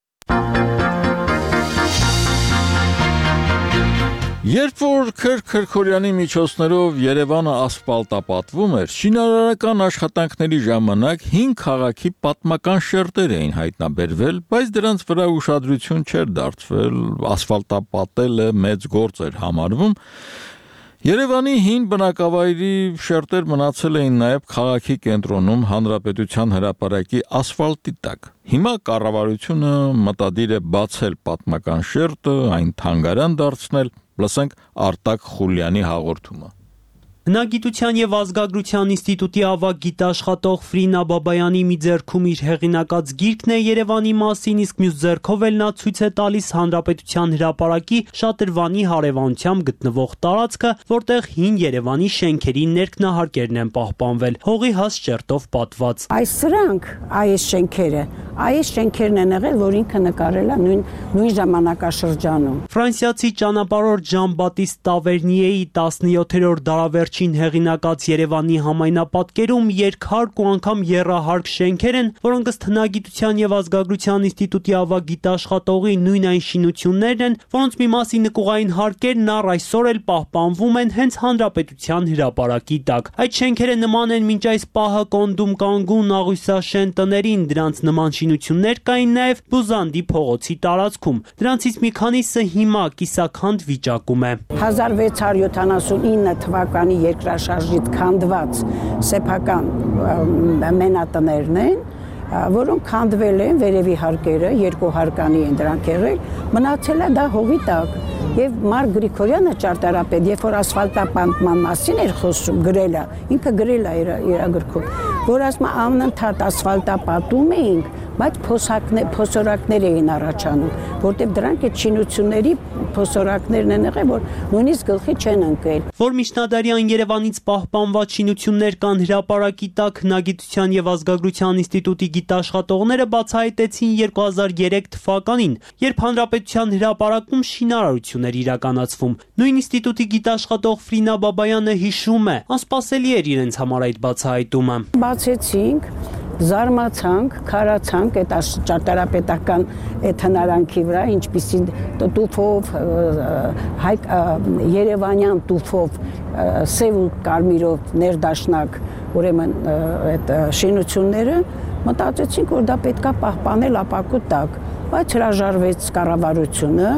Երբ որ Քրքրքորյանի միջոցներով Երևանը ասֆալտապատվում էր, շինարարական աշխատանքների ժամանակ հին քաղաքի պատմական շերտեր էին հայտնաբերվել, բայց դրանց վրա ուշադրություն չէր դարձվել, ասֆալտապատելը մեծ գործ էր համարվում։ Երևանի հին բնակավայրի շերտեր մնացել էին նաև քաղաքի կենտրոնում Հանրապետության հրապարակի ասֆալտի տակ։ Հիմա կառավարությունը մտադիր է բացել պատմական շերտը, այն թանգարան դարձնել, լսենք Արտակ Խուլյանի հաղորդումը։ Հնագիտության եւ ազգագրության ինստիտուտի ավագ գիտաշխատող Ֆրինա Բաբայանի մի ձեռքում իր հեղինակած գիրքն է Երևանի մասին, իսկ մյուս ձեռքով էլ նա ցույց է տալիս Հանրապետության հրապարակի Շատրվանի հարևանությամբ գտնվող տարածքը, որտեղ հին Երևանի շենքերի ներքնահարկերն են պահպանվել, հողի հաս ճերտով պատված։ Այս սրանք, այս շենքերը, այս շենքերն են եղել, որ ինքը նկարել է նույն նույն ժամանակաշրջանում։ Ֆրանսիացի ճանապարհորդ Ժան Բատիստ Տավերնիեի տասնյոթերորդ դարավերջին հեղինակած Երևանի համայնապատկերում երկհարկ ու անգամ եռահարկ շենքեր են, որոնք ըստ Հնագիտության եւ ազգագրության ինստիտուտի ավագ գիտաշխատողի նույն այն շինություններն են, որոնց մի մասի նկուղային հարկերն առ այսօր էլ պահպանվում են հենց Հանրապետության հրապարակի տակ։ Այդ շենքերը նման են մինչ այս պահը Կոնդում կանգուն աղյուսաշեն տներին, դրանց նման շինություններ կային նաև Բուզանդի փողոցի տարածքում։ Դրանցից մի քանիսը հիմա կիսաքանդ վիճակում է։ հազար վեց հարյուր յոթանասունինը թվականի երկրաշարժից քանդված սեփական մենատներն են, որոնք քանդվել են, վերևի հարկերը երկու հարկանի են դրանք եղել, մնացել է դա հողի տակ։ Եվ Մարկ Գրիգորյանը ճարտարապետ, երբ որ ասֆալտապատման մասին էր խոսում, գրել է, ինքը գրել է իր իր գրքում, որ ասում է անընդհատ ասֆալտապատում էինք, բայց փոսորակներ էին առաջանում, որտեղ դրանք այդ շինությունների փոսորակներն են եղել, որ նույնիսկ գլխի չեն ընկել։ Որ միջնադարյան Երևանից պահպանված շինություններ կան հրապարակի տակ, Հնագիտության եւ ազգագրության ինստիտուտի գիտաշխատողները բացահայտեցին երկու հազար երեք թվականին, երբ Հանրապետության հրապարակում շինարարություն էր իրականացվում։ Նույն ինստիտուտի գիտաշխատող Ֆրինա Բաբայանը հիշում է, անսպասելի էր իրենց համար այդ բացահայտումը։ Բացեցինք, զարմացանք, քարացանք այդ ճարտարապետական այդ հնարանքի վրա, ինչպիսի տուֆով, հայ երևանյան տուֆով, սև ու կարմիրով ներդաշնակ, ուրեմն այդ շինությունները, մտածեցինք, որ դա պետքա պահպանել ապակու տակ, բայց հրաժարվեց կառավարությունը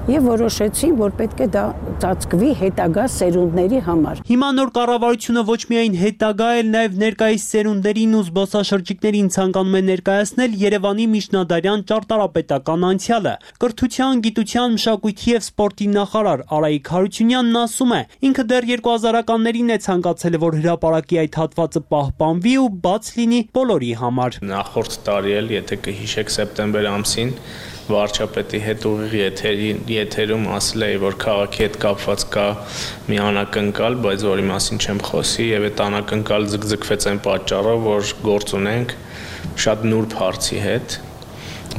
եւ որոշեցին, որ պետք է դա ծածկվի հետագա սերունդների համար։ Հիմա նոր կառավարությունը ոչ միայն հետագա, այլ նաեւ ներկայիս սերունդերին ու զբոսաշրջիկներին ցանկանում է ներկայացնել Երևանի միջնադարյան ճարտարապետական անցյալը։ Կրթության, գիտության, մշակույթի եւ սպորտի նախարար Արայիկ Հարությունյանն ասում է, ինքը դեռ երկու հազարականներին է ցանկացել, որ հրապարակի այդ հատվածը պահպանվի ու բաց լինի բոլորի համար։ Նախորդ տարի էլ, եթե կհիշեք, սեպտեմբեր ամսին վարչապետի հետ ուղիղ եթերի եթերում ասել էի, որ քաղաքի հետ կապված կա մի անակնկալ, բայց որի մասին չեմ խոսի, եւ այդ անակնկալ ձգձգվեց այն պատճառով, որ գործ ունենք շատ նուրբ հարցի հետ,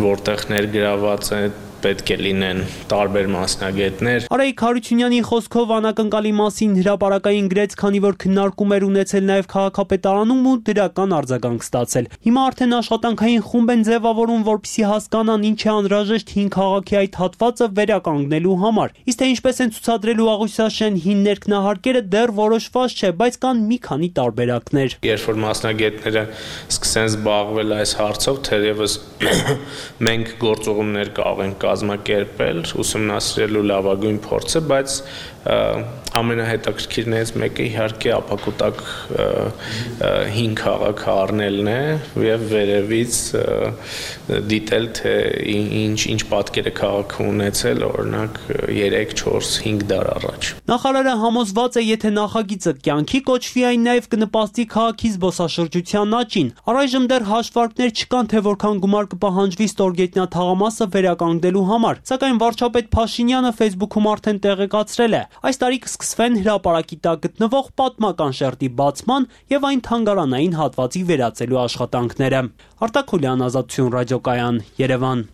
որտեղ ներգրաված է պետք է լինեն տարբեր մասնագետներ։ Արայիկ Հարությունյանի խոսքով անակնկալի մասին հրապարակային գրեց, քանի որ քննարկում էր ունեցել նաև քաղաքապետարանում ու դրական արձագանք ստացել։ Հիմա արդեն աշխատանքային խումբ են ձևավորում, որպեսզի հասկանան ինչ է անհրաժեշտ հին քաղաքի այդ հատվածը վերականգնելու համար։ Իսկ թե ինչպես են ցուցադրելու աղյուսաշեն հին ներքնահարկերը դեռ որոշված չէ, բայց կան մի քանի տարբերակներ։ Երբ որ մասնագետները սկսեն զբաղվել այս հարցով, թերևս մենք գործողումներ կարող ենք կազմակերպել, ուսումնասիրելու լավագույն փորձը, բայց ամենահետաքրքիրներից մեկը իհարկե ապակուտակ հին քաղաքը առնելն է եւ վերևից դիտել, թե ինչ ինչ պատկեր է քաղաքը ունեցել, օրինակ երեք, չորս, հինգ դար առաջ։ Նախարարը համոզված է, եթե նախագիծը կյանքի կոչվի, այն նաեւ կնպաստի քաղաքի զբոսաշրջության աճին։ Առայժմ դեռ հաշվարկներ չկան, թե որքան գումար կպահանջվի ստորգետնյա թաղամասը վերականգնելու համար, սակայն վարչապետ Փաշինյանը Facebook-ում արդեն տեղեկացրել է, այս տարի կսկսվեն հրապարակի տակ գտնվող պատմական շերտի բացման եւ այն թանգարանային հատվածի վերածելու աշխատանքները։ Արտակ Խուլյան, Ազատություն ռադիոկայան, Երևան։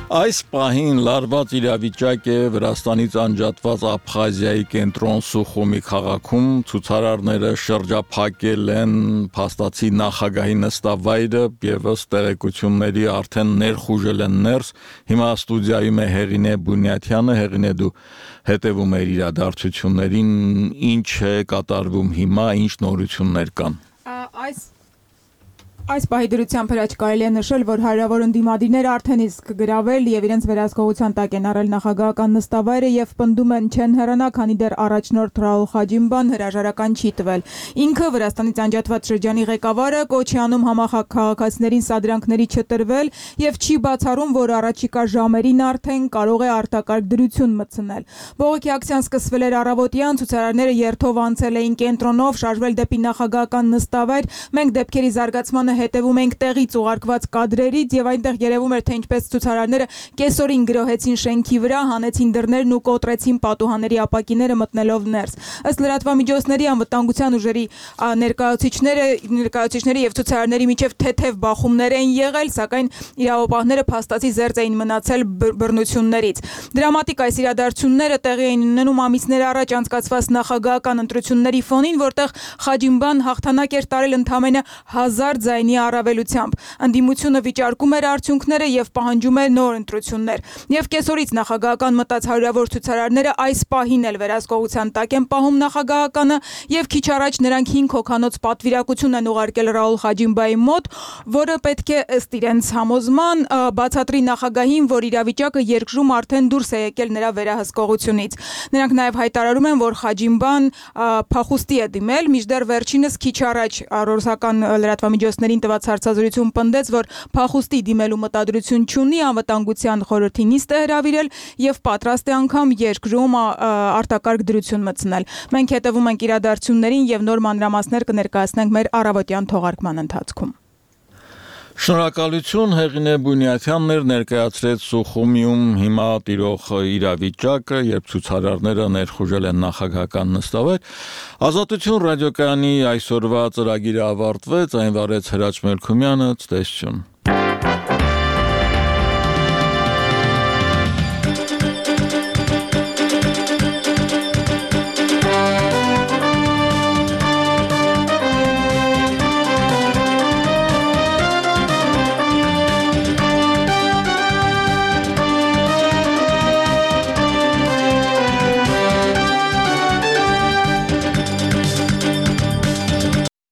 Այս պահին լարված իրավիճակ է Վրաստանից անջատված Աբխազիայի կենտրոն Սուխումի քաղաքում, ցուցարարները շրջափակել են փաստացի նախագահի նստավայրը եւ ըստ տեղեկությունների արդեն ներխուժել են ներս։ Հիմա ստուդիայում է Հեղինե Բունյաթյանը, Հեղինե դու հետևում ես իրադարձություններին, ինչ է կատարվում հիմա, ինչ նորություններ կան։ Այս Այս պահի դրությամբ հրաչ կարելի է նշել, որ հարյուրավոր ընդդիմադիրները արդեն իսկ գրավել եւ իրենց վերահսկողության տակ են առել նախագահական նստավայրը եւ պնդում են չեն հեռանա, քանի դեռ առաջնորդ Ռաուլ Խաջիմբան հրաժարական չի տվել։ Ինքը Վրաստանից անջատված շրջանի ղեկավարը կոչ է անում համախաղացիներին սադրանքների չտրվել եւ չի բացառում, որ առաջիկա ժամերին արդեն կարող է արտակարգ դրություն մտցնել։ Բողոքի ակցիան սկսվել էր առավոտյան, ցուցարարները երթով անցել էին կենտրոնով, շարժվել դեպի նախագահական նստավայր։ Մենք դեպքերի զարգացմանը հետևում ենք տեղից ուղարկված կադրերից եւ այնտեղ երևում էր, թե ինչպես ցուցարարները կեսօրին գրոհեցին շենքի վրա, հանեցին դռներն ու կոտրեցին պատուհանների ապակիները մտնելով ներս։ Ըստ լրատվամիջոցների անվտանգության ուժերի ներկայացուցիչները, ներկայացուցիչների եւ ցուցարարների միջև թեթև բախումներ են եղել, սակայն իրավապահները փաստացի զերծ էին մնացել բռնություններից։ Դրամատիկ այս իրադարձությունները տեղի էին ունենում ամիսներ առաջ անցկացված նախագահական ընտրությունների ֆոնին, որտեղ Խաջիմբան հաղթանակ էր տարել ընդամենը հազար ձայնի առավելությամբ։ Ընդդիմությունը վիճարկում էր արդյունքները եւ պահանջում էր նոր ընտրություններ։ Եվ կեսօրից նախագահական մտած հարյուրավոր ցուցարարները այս պահին էլ վերահսկողության տակ են պահում նախագահականը եւ քիչ առաջ նրանք հինգ հոգանոց պատվիրակություն են ուղարկել Ռաուլ Խաջիմբայի մոտ, որը պետք է ըստ իրենց համոզման բացատրի նախագահին, որ իրավիճակը երկրում արդեն դուրս է եկել նրա վերահսկողությունից։ Նրանք նաեւ հայտարարում են, որ Խաջիմբան փախուստի է դիմել, մինչդեռ վերջինս քիչ առաջ ռուսական լրատվամիջոցներին տված հարցազրույցում պնդեց, որ փախուստի դիմելու մտադրություն չունի, անվտանգության խորհրդի նիստ է հրավիրել եւ պատրաստ է անգամ երկրում արտակարգ դրություն մտցնել։ Մենք հետևում ենք իրադարձություններին եւ նոր մանրամասներ կներկայացնենք մեր առավոտյան թողարկման ընթացքում։ Շնորհակալություն Հեղինե Բունյաթյանն էր ներկայացրեց Սուխումիում հիմա տիրող իրավիճակը, երբ ցուցարարները ներխուժել են նախագահական նստավայր։ Ազատություն ռադիոկայանի այսօրվա ծրագիրը ավարտվեց, այն վարեց Հրաչ Մելքումյանը, ցտեսություն։